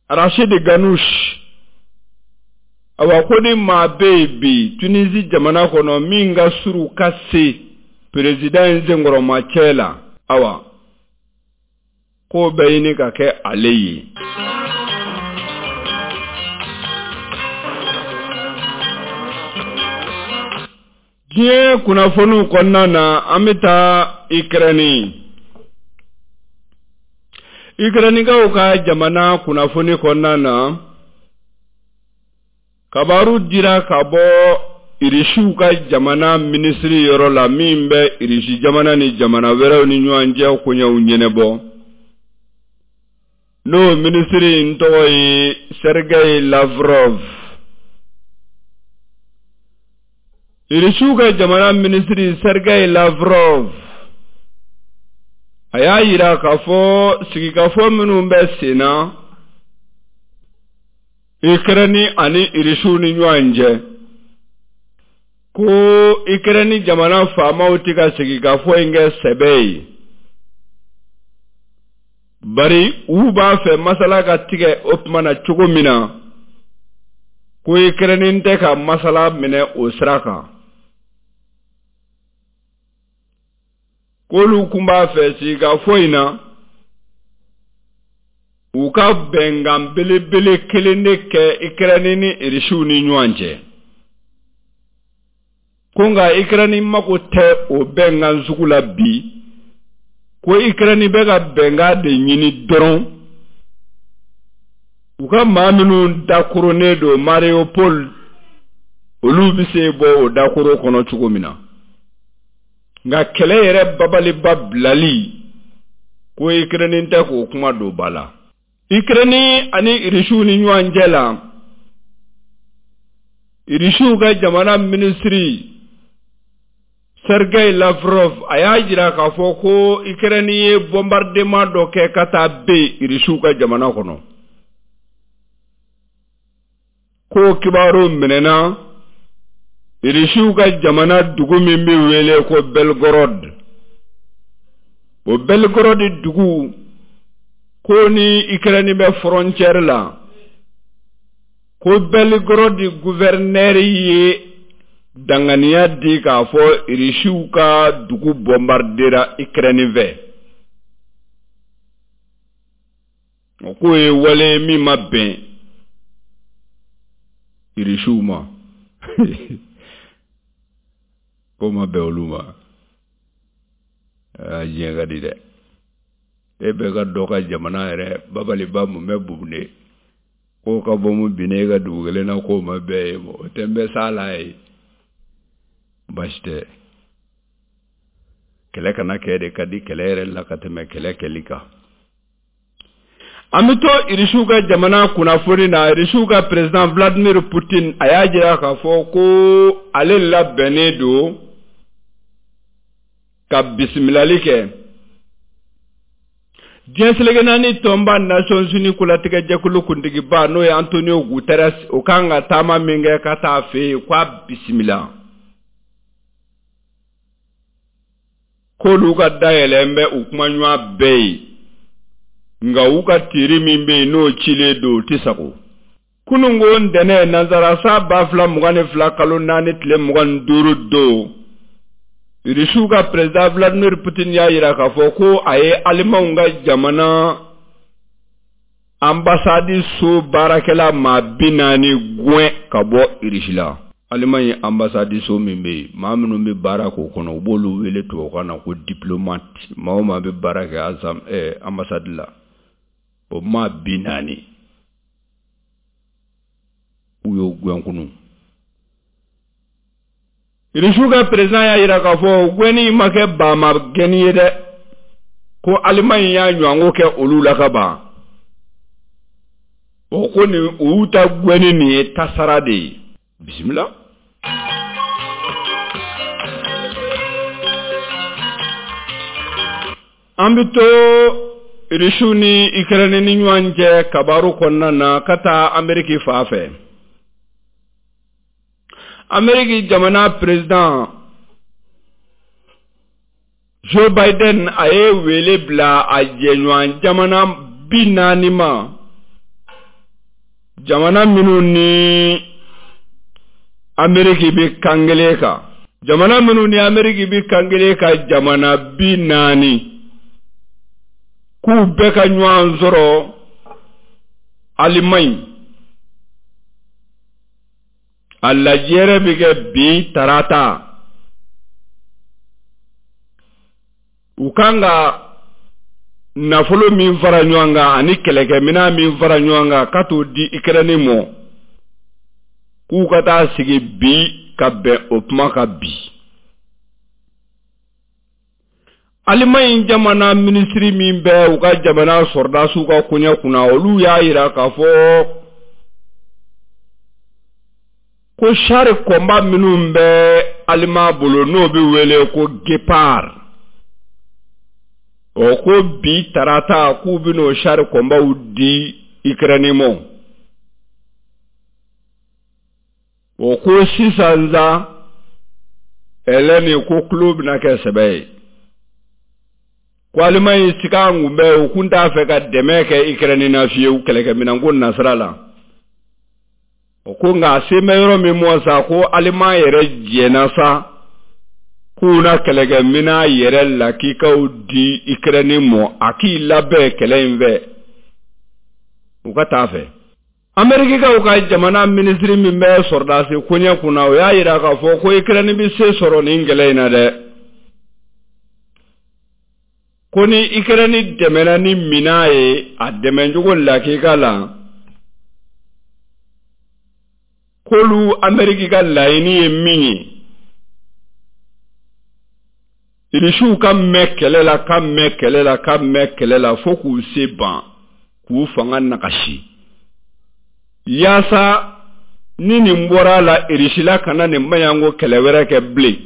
Speaker 2: Arachide Ghannouchi, awa ko ni maa bɛ yen bi Tunisi jamana kɔnɔ min ka surun ka se président in senkɔrɔmacɛ la, awa k'o bɛ ɲini ka kɛ ale ye. Diɲɛ kunnafoniw kɔnɔna na, an bɛ taa Ikɛrɛni. Ikɛrɛnikaw ka jamana kunnafoni kɔnɔna na, kabaru dira ka bɔ Irisiw ka jamana minisiri yɔrɔ la min bɛ Irisi jamana ni jamana wɛrɛw ni ɲɔgɔn cɛ koɲɛw ɲɛnabɔ, n'o minisiri in tɔgɔ ye Sergei Lavrov. Irisiw ka jamana minisiri Sergei Lavrov, A y'a yira k'a fɔ sigikafɔ minnu bɛ sen na Ukraine ani Irisiw ni ɲɔgɔn cɛ, ko Ukraine jamana faamaw tɛ ka sigikafɔ in kɛ sɛbɛ ye, bari u b'a fɛ masala ka tigɛ o tuma na cogo min na, ko Ukraine tɛ ka masala minɛ o sira kan. K'olu kun b'a fɛ sigikafɔ in na u ka bɛnkan belebele kelen de kɛ Ukraine ni Irisiw ni ɲɔgɔn cɛ, ko nka Ukraine mako tɛ o bɛnkan sugu la bi, ko Ukraine bɛ ka bɛnkan de ɲini dɔrɔn u ka maa minnu dakoronnen don Mariupol, olu bɛ se bɔ o dakoro kɔnɔ cogo min na. Nka kɛlɛ yɛrɛ babaliba bilali, ko Ukraine tɛ k'o kuma don ba la. Ukraine ani Irisiw ni ɲɔgɔn cɛ la, Irisiw ka jamana minisiri Sergei Lavrov a y'a jira k'a fɔ ko Ukraine ye bombardement dɔ kɛ ka taa ben Irisiw ka jamana kɔnɔ, ko kibaru minɛna Irisiw ka jamana dugu min bɛ wele ko Belgorod. O Belgorod dugu, ko ni Ukraine bɛ frontière la, ko Belgorod gouverneur ye danganiya di k'a fɔ Irisiw ka dugu bombardera Ukraine fɛ. O k'o ye wale min ma bɛn Irisiw ma. Ko ma bɛn olu ma. Aa, diɲɛ ka di dɛ. E bɛ ka dɔ ka jamana yɛrɛ babaliba mun bɛ bubune, k'o ka bɔ mun binne e ka dugu kelen na, k'o ma bɛn e ma, o tɛ n bɛ s'a la ye. Baasi tɛ, kɛlɛ kana kɛ de ka di kɛlɛ yɛrɛ la ka tɛmɛ kɛlɛ kɛli kan. An bɛ to Irisiw ka jamana kunnafoni na. Irisiw ka président Vladimir Poutine a y'a jira k'a fɔ ko ale labɛnnen don ka bisimilali kɛ diɲɛ seleke naani tɔnba Nations Unies kolatigɛjɛkulu kuntigiba n'o ye Antonio Guterres, o kan ka taama min kɛ ka taa fɛ yen, k'a bisimila, k'olu ka dayɛlɛn bɛ u kumaɲɔgɔn bɛɛ ye, nka u ka tiiri min bɛ yen n'o cilen don, o tɛ sago. Kununko ntɛnɛn nansara san ba fila mugan ni fila kalo naani tile mugan ni duuru don, Irisiw ka président Vladimir Poutine y'a jira k'a fɔ ko a ye Alimanw ka jamana ambassade so baarakɛla maa bi naani gɛn ka bɔ Irisi la. Alimaɲi ambassade so min bɛ yen, maa minnu bɛ baara k'o kɔnɔ, u b'olu wele tubabukan na ko diplomate. Maa o maa bɛ baara kɛ ambassade la, o maa bi naani u y'o gɛn kunun. Irisiw ka président y'a jira k'a fɔ gɛnni ma kɛ baama gɛnni ye dɛ, ko Alimaɲi y'a ɲɔgɔnko kɛ olu la ka ban. O ko nin u y'u ta gɛnni nin ye tasara de ye. Bisimila. An bɛ to Irisiw ni Ukraine ni ɲɔgɔn cɛ kabaru kɔnɔna na ka taa Ameriki fan fɛ. Ameriki jamana président Joe Biden a ye wele bila a jɛɲɔgɔn jamana bi naani ma, jamana minnu ni Ameriki bɛ kan kelen kan, jamana minnu ni Ameriki bɛ kan kelen kan, jamana bi naani, k'u bɛɛ ka ɲɔgɔn sɔrɔ Alimaɲi. A lajɛrɛ bɛ kɛ bi tarata. U kan ka nafolo min fara ɲɔgɔn kan ani kɛlɛkɛminɛn min fara ɲɔgɔn kan ka t'o di Ukraine ma, k'u ka taa sigi bi ka bɛn o kuma kan bi. Alimaɲi jamana minisiri min bɛ u ka jamana sɔrɔdasiw ka koɲɛ kunna, olu y'a jira k'a fɔ ko char combat minnu bɛ Alima bolo n'o bɛ wele ko Guépard, O ko bi tarata k'u bɛn'o char combatw di Ukraine ma. O ko sisan sa Hélène ko tulo bɛna kɛ sɛbɛ ye. Ko Allemagne sika kun bɛ u kun t'a fɛ ka dɛmɛ kɛ Ukraine na fiyewu kɛlɛkɛminɛnko nasira la. O ko nka a se bɛ yɔrɔ min mɔ sa ko Allemagne yɛrɛ jɛnna sa k'u na kɛlɛkɛminɛn yɛrɛ lakikaw di Ukraine mɔ a k'i labɛn kɛlɛ in fɛ u ka taa fɛ. Amerikikaw ka jamana minisiri min bɛ sɔrɔdasi koɲɛ kunna o y'a yira k'a fɔ ko Ukraine bɛ se sɔrɔ nin kɛlɛ in na dɛ. Ko ni Ukraine dɛmɛna ni minan ye a dɛmɛcogo lakika la k'olu Ameriki ka laɲini ye min ye Irisiw ka mɛn kɛlɛ la ka mɛn kɛlɛ la ka mɛn kɛlɛ la fo k'u se ban k'u fanga nagasi yaasa ni nin bɔra a la Irisila kana nin maɲanko kɛlɛ wɛrɛ kɛ bilen.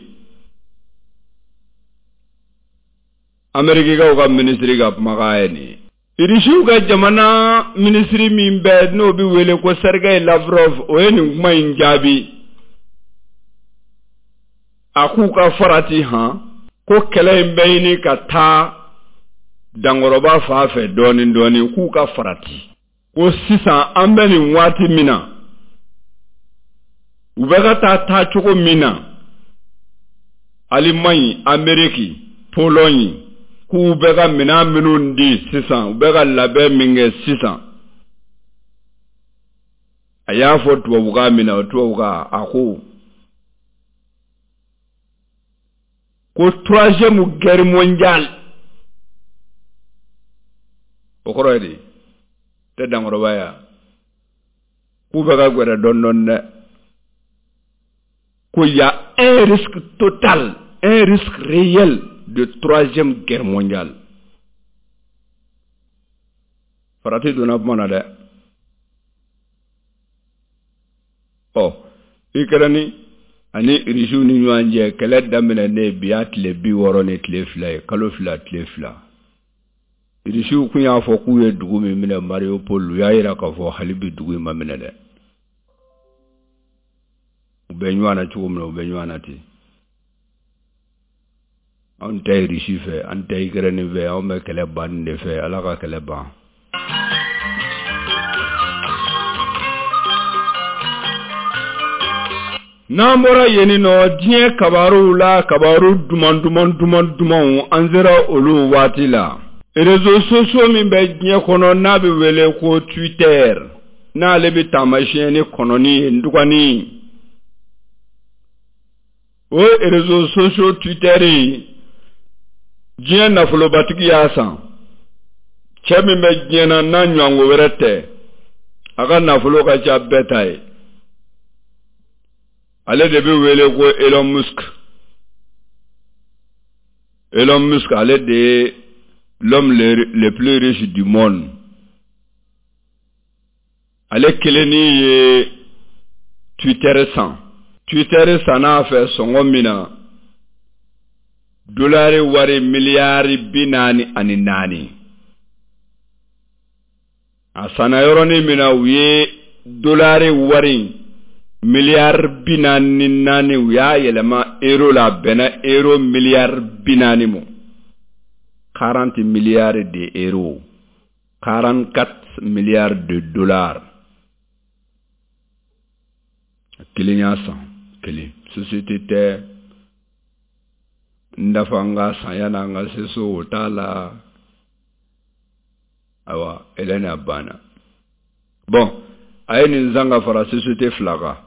Speaker 2: Amerikikaw ka minisiri ka kumakan ye nin ye. Irisiw ka jamana minisiri min bɛ n'o bɛ wele ko Sergei Lavrov o ye nin kuma in jaabi. A k'u ka farati han ko kɛlɛ in bɛ ɲini ka taa dankɔrɔba fan fɛ dɔɔnin dɔɔnin k'u ka farati. Ko sisan an bɛ nin waati min na u bɛ ka taa taacogo min na Allemagne, Amérique, Pologne k'u bɛ ka minɛn minnu di sisan u bɛ ka labɛn min kɛ sisan a y'a fɔ tubabukan min na o tubabukan a ko ko troisième guerre mondiale o kɔrɔ ye di tɛ dankɔrɔba ye k'u bɛ ka gwɛrɛ dɔɔnin dɔɔnin dɛ ko y a un risque total, un risque réel de troisième guerre mondiale. Farati donna kuma na dɛ. Ɔ Ukraine ani Irisiw ni ɲɔgɔn cɛ kɛlɛ daminɛnen bi y'a tile bi wɔɔrɔ ni tile fila ye kalo fila tile fila. Irisiw kun y'a fɔ k'u ye dugu min minɛ Mariupol u y'a yira k'a fɔ hali bi dugu in ma minɛ dɛ. U bɛ ɲɔgɔn na cogo min na u bɛ ɲɔgɔn na ten. Anw tɛ Irisi fɛ an tɛ Ukraine fɛ anw bɛ kɛlɛ banni de fɛ Ala ka kɛlɛ ban. N'an bɔra yen nɔ diɲɛ kabaruw la kabaru duman duman duman dumanw an sera olu waati la. Réseaux sociaux min bɛ diɲɛ kɔnɔ n'a bɛ wele ko Twitter n'ale bɛ taamasiyɛn ni kɔnɔni ye ndugani. O réseaux sociaux Twitter diɲɛ nafolobatigi y'a san. Cɛ min bɛ diɲɛ na n'a ɲɔgɔnko wɛrɛ tɛ a ka nafolo ka ca bɛɛ ta ye. Ale de bɛ wele ko Elon Musk. Elon Musk ale de ye l'homme le, le plus riche du monde. Ale kelenni ye Twitter san. Twitter san'a fɛ sɔngɔ min na dolari wari miliyari bi naani ani naani. A sanna yɔrɔnin min na u ye dolari wari miliyari bi naani ni naani u y'a yɛlɛma euro la a bɛnna euro miliyari bi naani ma. quarante milliards de euros, quarante-quatre milliards de dollars. Kelen y'a san kelen société tɛ n dafa n ka san yanni an ka se so o t'a la ayiwa Hélène a banna. Bon a ye nin san ka fara société fila kan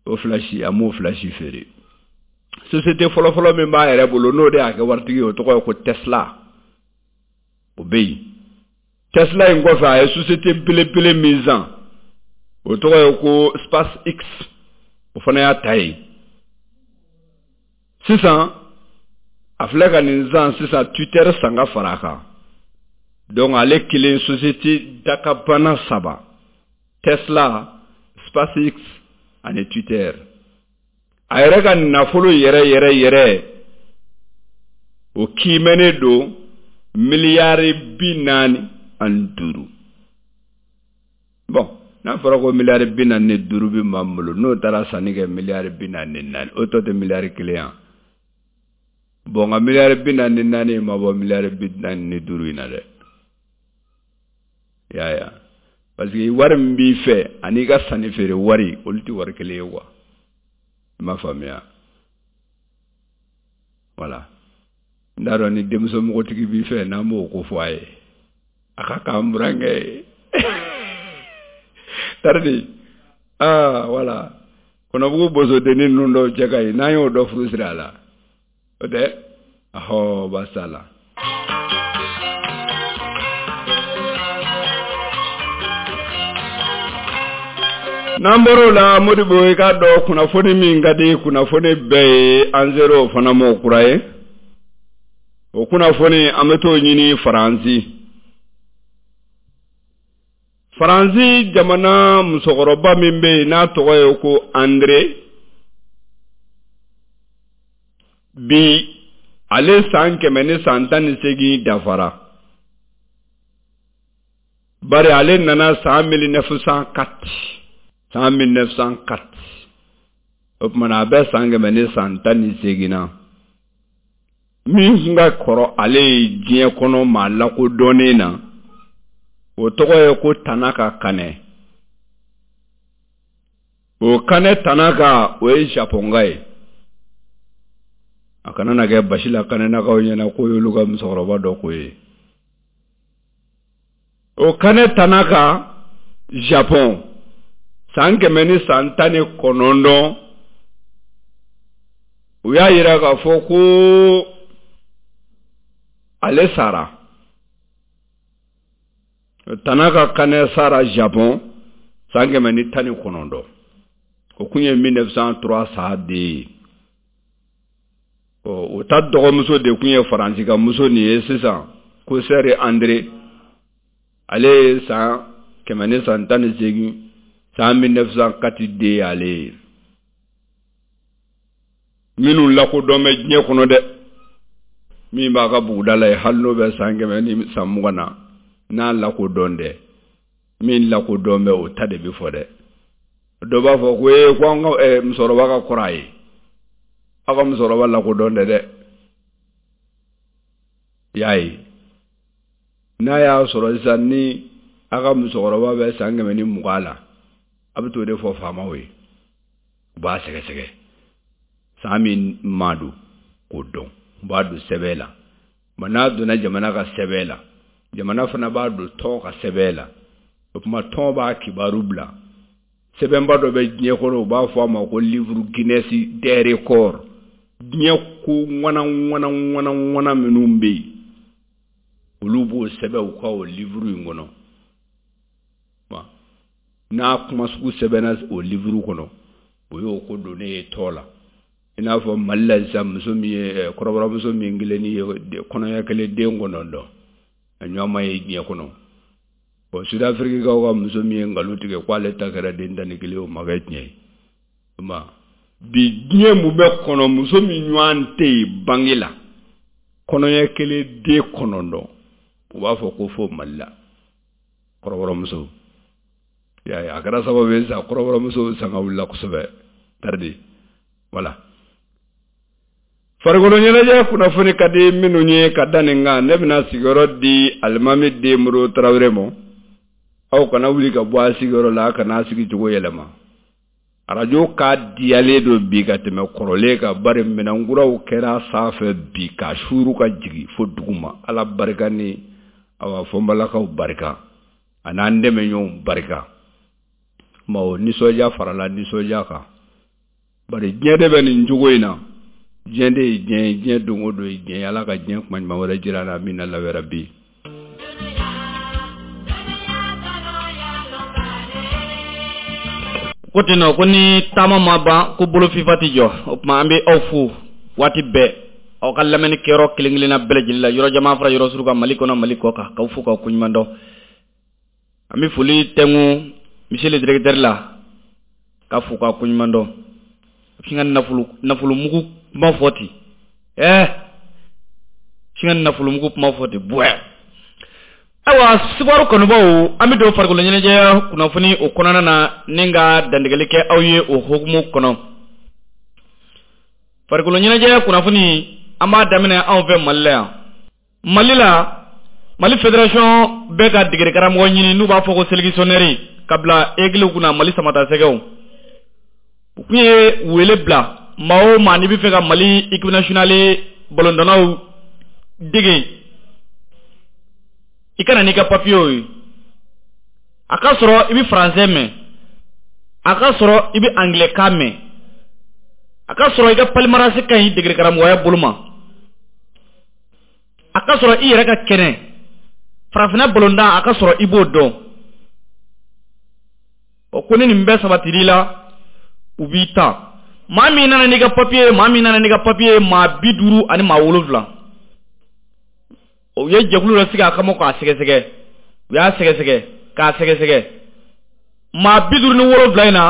Speaker 2: o fila si a m'o fila si feere. Société fɔlɔfɔlɔ min b'a yɛrɛ bolo n'o de y'a kɛ waritigi ye o tɔgɔ ye ko Tesla o bɛ yen. Tesla in kɔfɛ a ye société belebele min san o tɔgɔ ye ko SpaceX o fana y'a ta ye. Sisan a filɛ ka nin san sisan Twitter san ka fara a kan. Donc ale kelen société dakabana saba Tesla, SpaceX ani Twitter. A yɛrɛ ka nafolo yɛrɛ yɛrɛ yɛrɛ
Speaker 1: O kiimɛnen don miliyari bi naani ani duuru. Bon, n'a fɔra ko miliyari bi naani ni duuru bɛ maa min bolo, n'o taara sanni kɛ miliyari bi naani ni naani, o tɔ tɛ miliyari kelen yan. Bon, nka miliyari bi naani ni naani ma bɔ miliyari bi naani ni duuru in na dɛ. I y'a ye wa? Parce que wari min b'i fɛ ani i ka sanni feere wari, olu tɛ wari kelen ye quoi. I m'a faamuya? Voilà. N t'a dɔn ni denmuso mɔgɔtigi b'i fɛ n'an b'o ko fɔ a ye. A ka k'an burankɛ ye. Taridi. Ah, voilà. Kɔnɔbugu bosodennin ninnu dɔw cɛ ka ɲi n'an y'o dɔ furu siri a la. O tɛ? Ahɔ, baasi t'a la. N'an bɔr'o la, Modibo, i k'a dɔn kunnafoni min ka di kunnafoni bɛɛ ye, an ser'o fana ma o kura ye. O kunnafoni an bɛ t'o ɲini Faransi. Faransi jamana musokɔrɔba min bɛ yen n'a tɔgɔ ye ko Andre, bi ale san kɛmɛ ni san tan ni seegin dafara. Bari ale nana san mille neuf cent quatre. San mille neuf cent quatre. O tuma na a bɛ san kɛmɛ ni san tan ni seegin na. Min tun ka kɔrɔ ale ye diɲɛ kɔnɔ maa lakodɔnnen na, o tɔgɔ ye ko Tanaka Kanɛ. O Kanɛ Tanaka, o ye Japɔnka ye. A kana na kɛ basi la Kanɛnakaw ɲɛna k'o y'olu ka musokɔrɔba dɔ ko ye. O Kanɛ Tanaka, Japɔn, san kɛmɛ ni san tan ni kɔnɔntɔn, u y'a yira k'a fɔ ko ale sara. Tanaka Kanɛ sara Japon san kɛmɛ ni tan ni kɔnɔntɔn. O kun ye mille neuf cent trois sa de ye. O ta dɔgɔmuso de kun ye Faransi ka muso nin ye sisan, ko Sɛri Andre. Ale ye san kɛmɛ ni san tan ni seegin, san mille neuf cent quatre de ye ale ye. Minnu lakodɔn bɛ diɲɛ kɔnɔ dɛ, min b'a ka buguda la ye, hali n'o bɛ san kɛmɛ ni san mugan na, n'a lakodɔn dɛ, min lakodɔn bɛ o ta de bɛ fɔ dɛ. Dɔ b'a fɔ ko ee ko an ka musokɔrɔba ka kɔrɔ a ye, aw ka musokɔrɔba lakodɔn dɛ dɛ. I y'a ye, n'a y'a sɔrɔ sisan ni aw ka musokɔrɔba bɛ san kɛmɛ ni mugan la, a bɛ t'o de fɔ faamaw ye, u b'a sɛgɛsɛgɛ san min ma don k'o dɔn, u b'a don sɛbɛn la. Ma n'a donna jamana ka sɛbɛn la, jamana fana b'a don tɔn ka sɛbɛn la. O tuma tɔn b'a kibaru bila. Sɛbɛnba dɔ bɛ diɲɛ kɔnɔ, u b'a fɔ a ma ko livre Guinness des records. Diɲɛ ko ŋwana ŋwana ŋwana ŋwana minnu bɛ yen, olu b'o sɛbɛn u ka o livre in kɔnɔ. N'a kuma sugu sɛbɛnna o livre kɔnɔ, o y'o ko donnen ye tɔ la. I n'a fɔ Mali la sisan, muso min ye kɔrɔbɔrɔmuso min kelen ye kɔnɔɲɛ kelen den kɔnɔntɔn, a ɲɔgɔn ma ye diɲɛ kɔnɔ. Bon, Sud-Afrique ka muso min ye nkalon tigɛ k'ale ta kɛra den tan ni kelen, o ma kɛ tiɲɛ ye. Bi diɲɛ mun bɛ kɔnɔ, muso min ɲɔgɔn tɛ yen bange la, kɔnɔɲɛ kelen den kɔnɔntɔn, u b'a fɔ ko fo Mali la kɔrɔbɔrɔmuso. I y'a ye, a kɛra sababu ye sisan kɔrɔbɔrɔmuso sanga wulila kosɛbɛ. Taridi, voilà. Farikolo ɲɛnajɛ kunnafoni ka di minnu ye ka da nin kan, ne bɛna sigiyɔrɔ di alimami den Modibo Tarawele ma. Aw kana wuli ka bɔ a sigiyɔrɔ la, a kana sigi cogo yɛlɛma. Arajo ka diyalen don bi ka tɛmɛ kɔrɔlen kan, bari minɛnkuraw kɛra sanfɛ bi ka suuru ka jigin fo duguma. Ala barika ni awa fɔnbalakaw barika, a n'an dɛmɛɲɔgɔnw barika. Ma o nisɔndiya farala nisɔndiya kan. Bari diɲɛ de bɛ nin cogo in na. Diɲɛ de ye diɲɛ ye, diɲɛ don o don ye diɲɛ ye. Ala ka diɲɛ kuma ɲuman wɛrɛ jira an na min na lawɛrɛ bi.
Speaker 3: Ko ten nɔ, ko ni taama ma ban ko bolo fifa tɛ jɔ. O tuma an bɛ aw fo waati bɛɛ, aw ka lamɛnni kɛyɔrɔ kelen kelenna bɛɛ lajɛlen la, yɔrɔ jama fara yɔrɔ surun kan, Mali kɔnɔ Mali kɔ kan, k'aw fo k'aw koɲuman dɔn. An bɛ foli tɛnku monsieur le directeur la, k'a fo k'a koɲuman dɔn. A bɛ sin ka nafolo nafolo mugu kuma fɔ ten. Ɛɛ Sin ka nafolomugu kuma fɔ ten buwɛ. Ayiwa sibaro kanubaw, an bɛ don farikolo ɲɛnajɛ kunnafoni o kɔnɔna na ni ka dantigɛli kɛ aw ye o hukumu kɔnɔ. Farikolo ɲɛnajɛ kunnafoni an b'a daminɛ anw fɛ Mali la yan. Mali la, Mali Fédération bɛ ka degeli karamɔgɔ ɲini n'u b'a fɔ ko sélectionneur ka bila Aigle kunna Mali Samatasɛgɛw. U kun ye wele bila maa o maa n'i bɛ fɛ ka Mali équipe nationale balontannaw dege, i ka na n'i ka papiyew ye. A ka sɔrɔ i bɛ français mɛn, a ka sɔrɔ i bɛ anglais kan mɛn, a ka sɔrɔ i ka palmarès ka ɲi degeli karamɔgɔya bolo ma, a ka sɔrɔ i yɛrɛ ka kɛnɛ farafinna balontan a ka sɔrɔ i b'o dɔn. O ko ni nin bɛɛ sabatir'i la, u b'i ta. Maa min nana n'i ka papiye, maa min nana n'i ka papiye, maa bi duuru ani maa wolonwula. O ye jɛkulu dɔ sigi a kama k'a sɛgɛsɛgɛ. U y'a sɛgɛsɛgɛ k'a sɛgɛsɛgɛ. Maa bi duuru ni wolonwula in na,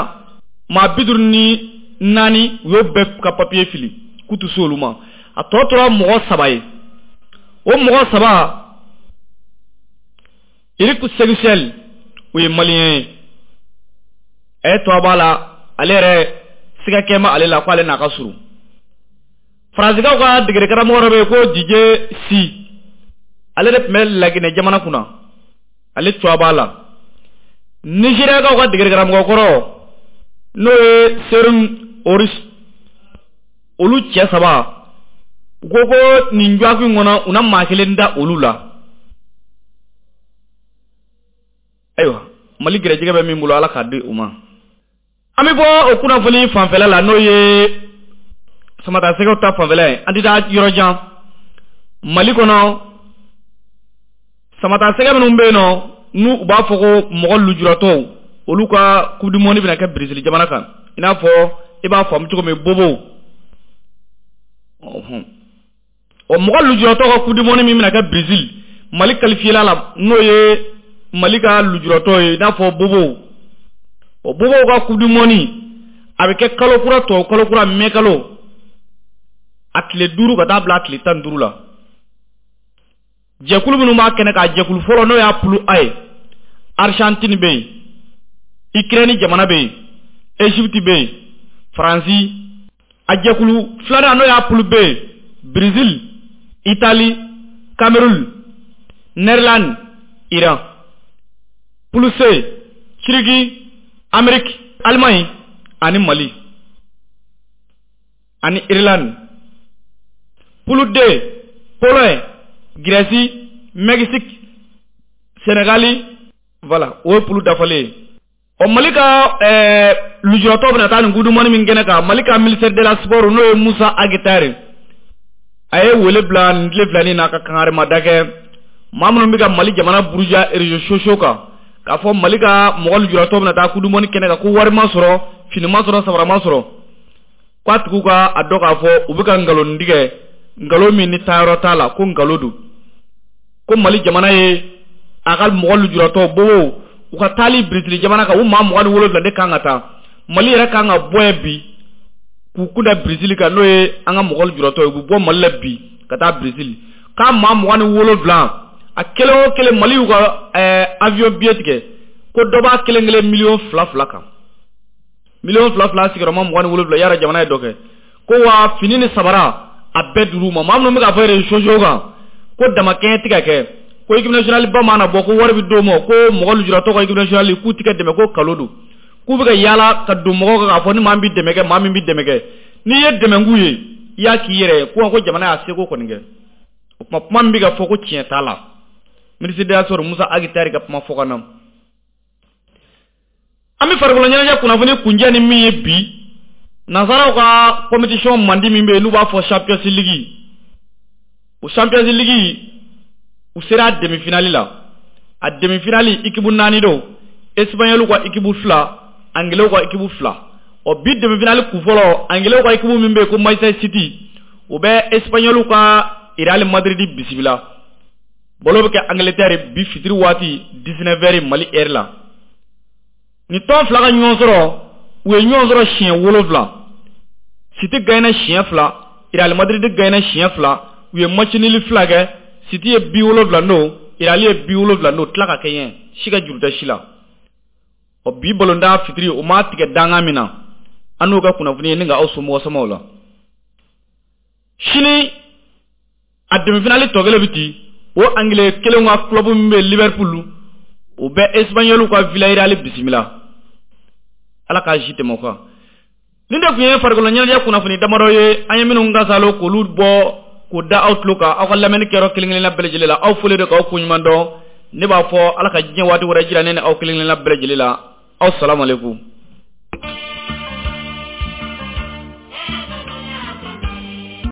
Speaker 3: maa bi duuru ni naani u y'o bɛɛ ka papiye fili k'u tɛ se olu ma. A tɔ tora mɔgɔ saba ye. O mɔgɔ saba, Eric Segusiel, o ye maliyɛn ye. A ye tɔ b'a la, ale yɛrɛ siga kɛ ma ale la k'ale n'a ka surun. Faransikaw ka degeli karamɔgɔ dɔ bɛ yen ko Didier Si, ale de tun bɛ Laginɛ jamana kunna, ale tɔ b'a la. Nigériakaw ka degeli karamɔgɔ kɔrɔ n'o ye Serum Oris, olu cɛ saba u ko ko nin jɔkun in kɔnɔ u na maa kelen da olu la. Ayiwa Mali gɛrɛjɛgɛ bɛ min bolo Ala k'a di u ma. An bɛ bɔ o kunnafoni fanfɛla la n'o ye Samatasɛgɛw ta fanfɛla ye. An tɛ taa yɔrɔ jan. Mali kɔnɔ Samatasɛgɛ minnu bɛ yen nɔ n'u u b'a fɔ ko mɔgɔ lujuratɔw, olu ka coupe du monde bɛna kɛ Brésil jamana kan. I n'a fɔ i b'a faamu cogo min bobow. O mɔgɔ lujuratɔw ka coupe du monde min bɛna kɛ Brésil, Mali qualifié la n'o ye Mali ka lujuratɔ ye i n'a fɔ bobow. O bobow ka coupe du monde a bɛ kɛ kalo kura tɔ kalo kura mɛ kalo a tile duuru ka taa bila a tile tan ni duuru la. Jɛkulu minnu b'a kɛnɛ kan, jɛkulu fɔlɔ n'o y'a poule A ye, Argentine bɛ yen, Ukraine jamana bɛ yen, Égypte bɛ yen, Faransi. A jɛkulu filanan n'o y'a poule B ye, Brésil, Italie, Cameroun, Nederland, Iran. Poule C, Turquie, Amérique, Allemagne ani Mali ani Irlande. Poule D, Pologne, Grèce, Mexique, Sénégal, voilà, o ye poule dafalen ye. O Mali ka ɛɛ lujuratɔ bɛna taa nin coupe du monde min kɛnɛ kan, Mali ka ministère de la sport n'o ye Musa Agitare, a ye wele bila nin tile filanin na ka kangarimada kɛ maa minnu bɛ ka Mali jamana buruja réseaux sociaux kan, k'a fɔ Mali ka mɔgɔ lujuratɔ bɛna taa coupe du monde kɛnɛ kan ko wari ma sɔrɔ, fini ma sɔrɔ, sabara ma sɔrɔ, k'a tigiw ka a dɔn k'a fɔ u bɛ ka nkalon tigɛ, nkalon min ni taayɔrɔ t'a la, ko nkalon don. Ko Mali jamana ye a ka mɔgɔ lujuratɔ bobow u ka taali Brésil jamana kan, u maa mugan ni wolonwula de kan ka taa. Mali yɛrɛ kan ka bɔ yen bi k'u kunda Brésil kan, n'o ye an ka mɔgɔ lujuratɔ ye, u bɛ bɔ Mali la bi ka taa Brésil. K'a maa mugan ni wolonwula a kelen o kelen Mali y'u ka ɛɛ avion billet tigɛ ko dɔ b'a kelen kelen miliyɔn fila fila kan, miliyɔn fila fila sigiyɔrɔma mugan ni wolonwula yara jamana ye dɔ kɛ. Ko wa fini ni sabara a bɛɛ duuru ma. Maa minnu bɛ k'a fɔ réseaux sociaux kan ko damakɛɲɛ tɛ ka kɛ, ko équipe nationale ba mana bɔ ko wari bɛ d'o ma, ko mɔgɔ lujuratɔ ka équipe nationale k'u tɛ ka dɛmɛ, ko kalo don, k'u bɛ ka yaala ka don mɔgɔw kan k'a fɔ ni maa min bɛ dɛmɛ kɛ, maa min bɛ dɛmɛ kɛ, n'i ye dɛmɛ k'u ye i y'a k'i yɛrɛ ye, ko ko jamana y'a seko kɔni kɛ. O kuma kuma min bɛ ka fɔ ko tiɲɛ t'a la. Ministre de la sport Musa Agitari ka kuma fɔ ka na. An bɛ farikolo ɲɛnajɛ kunnafoni kunjɛ ni min ye bi, nansaraw ka compétition mandi min bɛ yen n'u b'a fɔ Champions League, o Champions League u sera demi-finale la. A demi-finale équipe naani don, Espagnol ka équipe fila, Anglais ka équipe fila. O bi demi-finale kun fɔlɔ, Anglais ka équipe min bɛ yen ko Manchester City, o bɛ Espagnol ka Real Madrid bisimila. Bɔlɔ bɛ kɛ Angleterre bi fitiri waati dix-neuf heures Mali heure la. Ni tɔn fila ka ɲɔgɔn sɔrɔ, u ye ɲɔgɔn sɔrɔ siɲɛ wolonwula. City gagné siɲɛ fila, Real Madrid gagné siɲɛ fila, U ye match nul fila kɛ. City ye bi wolonwula don, Real ye bi wolonwula don, tila ka kɛɲɛ, si ka juru tɛ si la. Ɔ, bi balontan fitiri, o ma tigɛ dangan min na, an n'o ka kunnafoni ye ni ka aw somɔgɔ samaw la. Sini, a demi-finale tɔ kelen bɛ ci. O Anglais kelen ka club min bɛ Liverpool, o bɛ Espagnol ka Villarreal bisimila. Ala k'a si tɛmɛ o kan. Nin de tun ye farikolo ɲɛnajɛ kunnafoni damadɔ ye, an ye minnu kasalo k'olu bɔ k'o da aw tulo kan aw ka lamɛnni kɛyɔrɔ kelen kelenna bɛɛ lajɛlen la. Aw fɔlen don k'aw koɲuman dɔn. Ne b'a fɔ, Ala ka diɲɛ waati wɛrɛ jira ne ni aw kelen kelenna bɛɛ lajɛlen la. Aw salamu aleykum.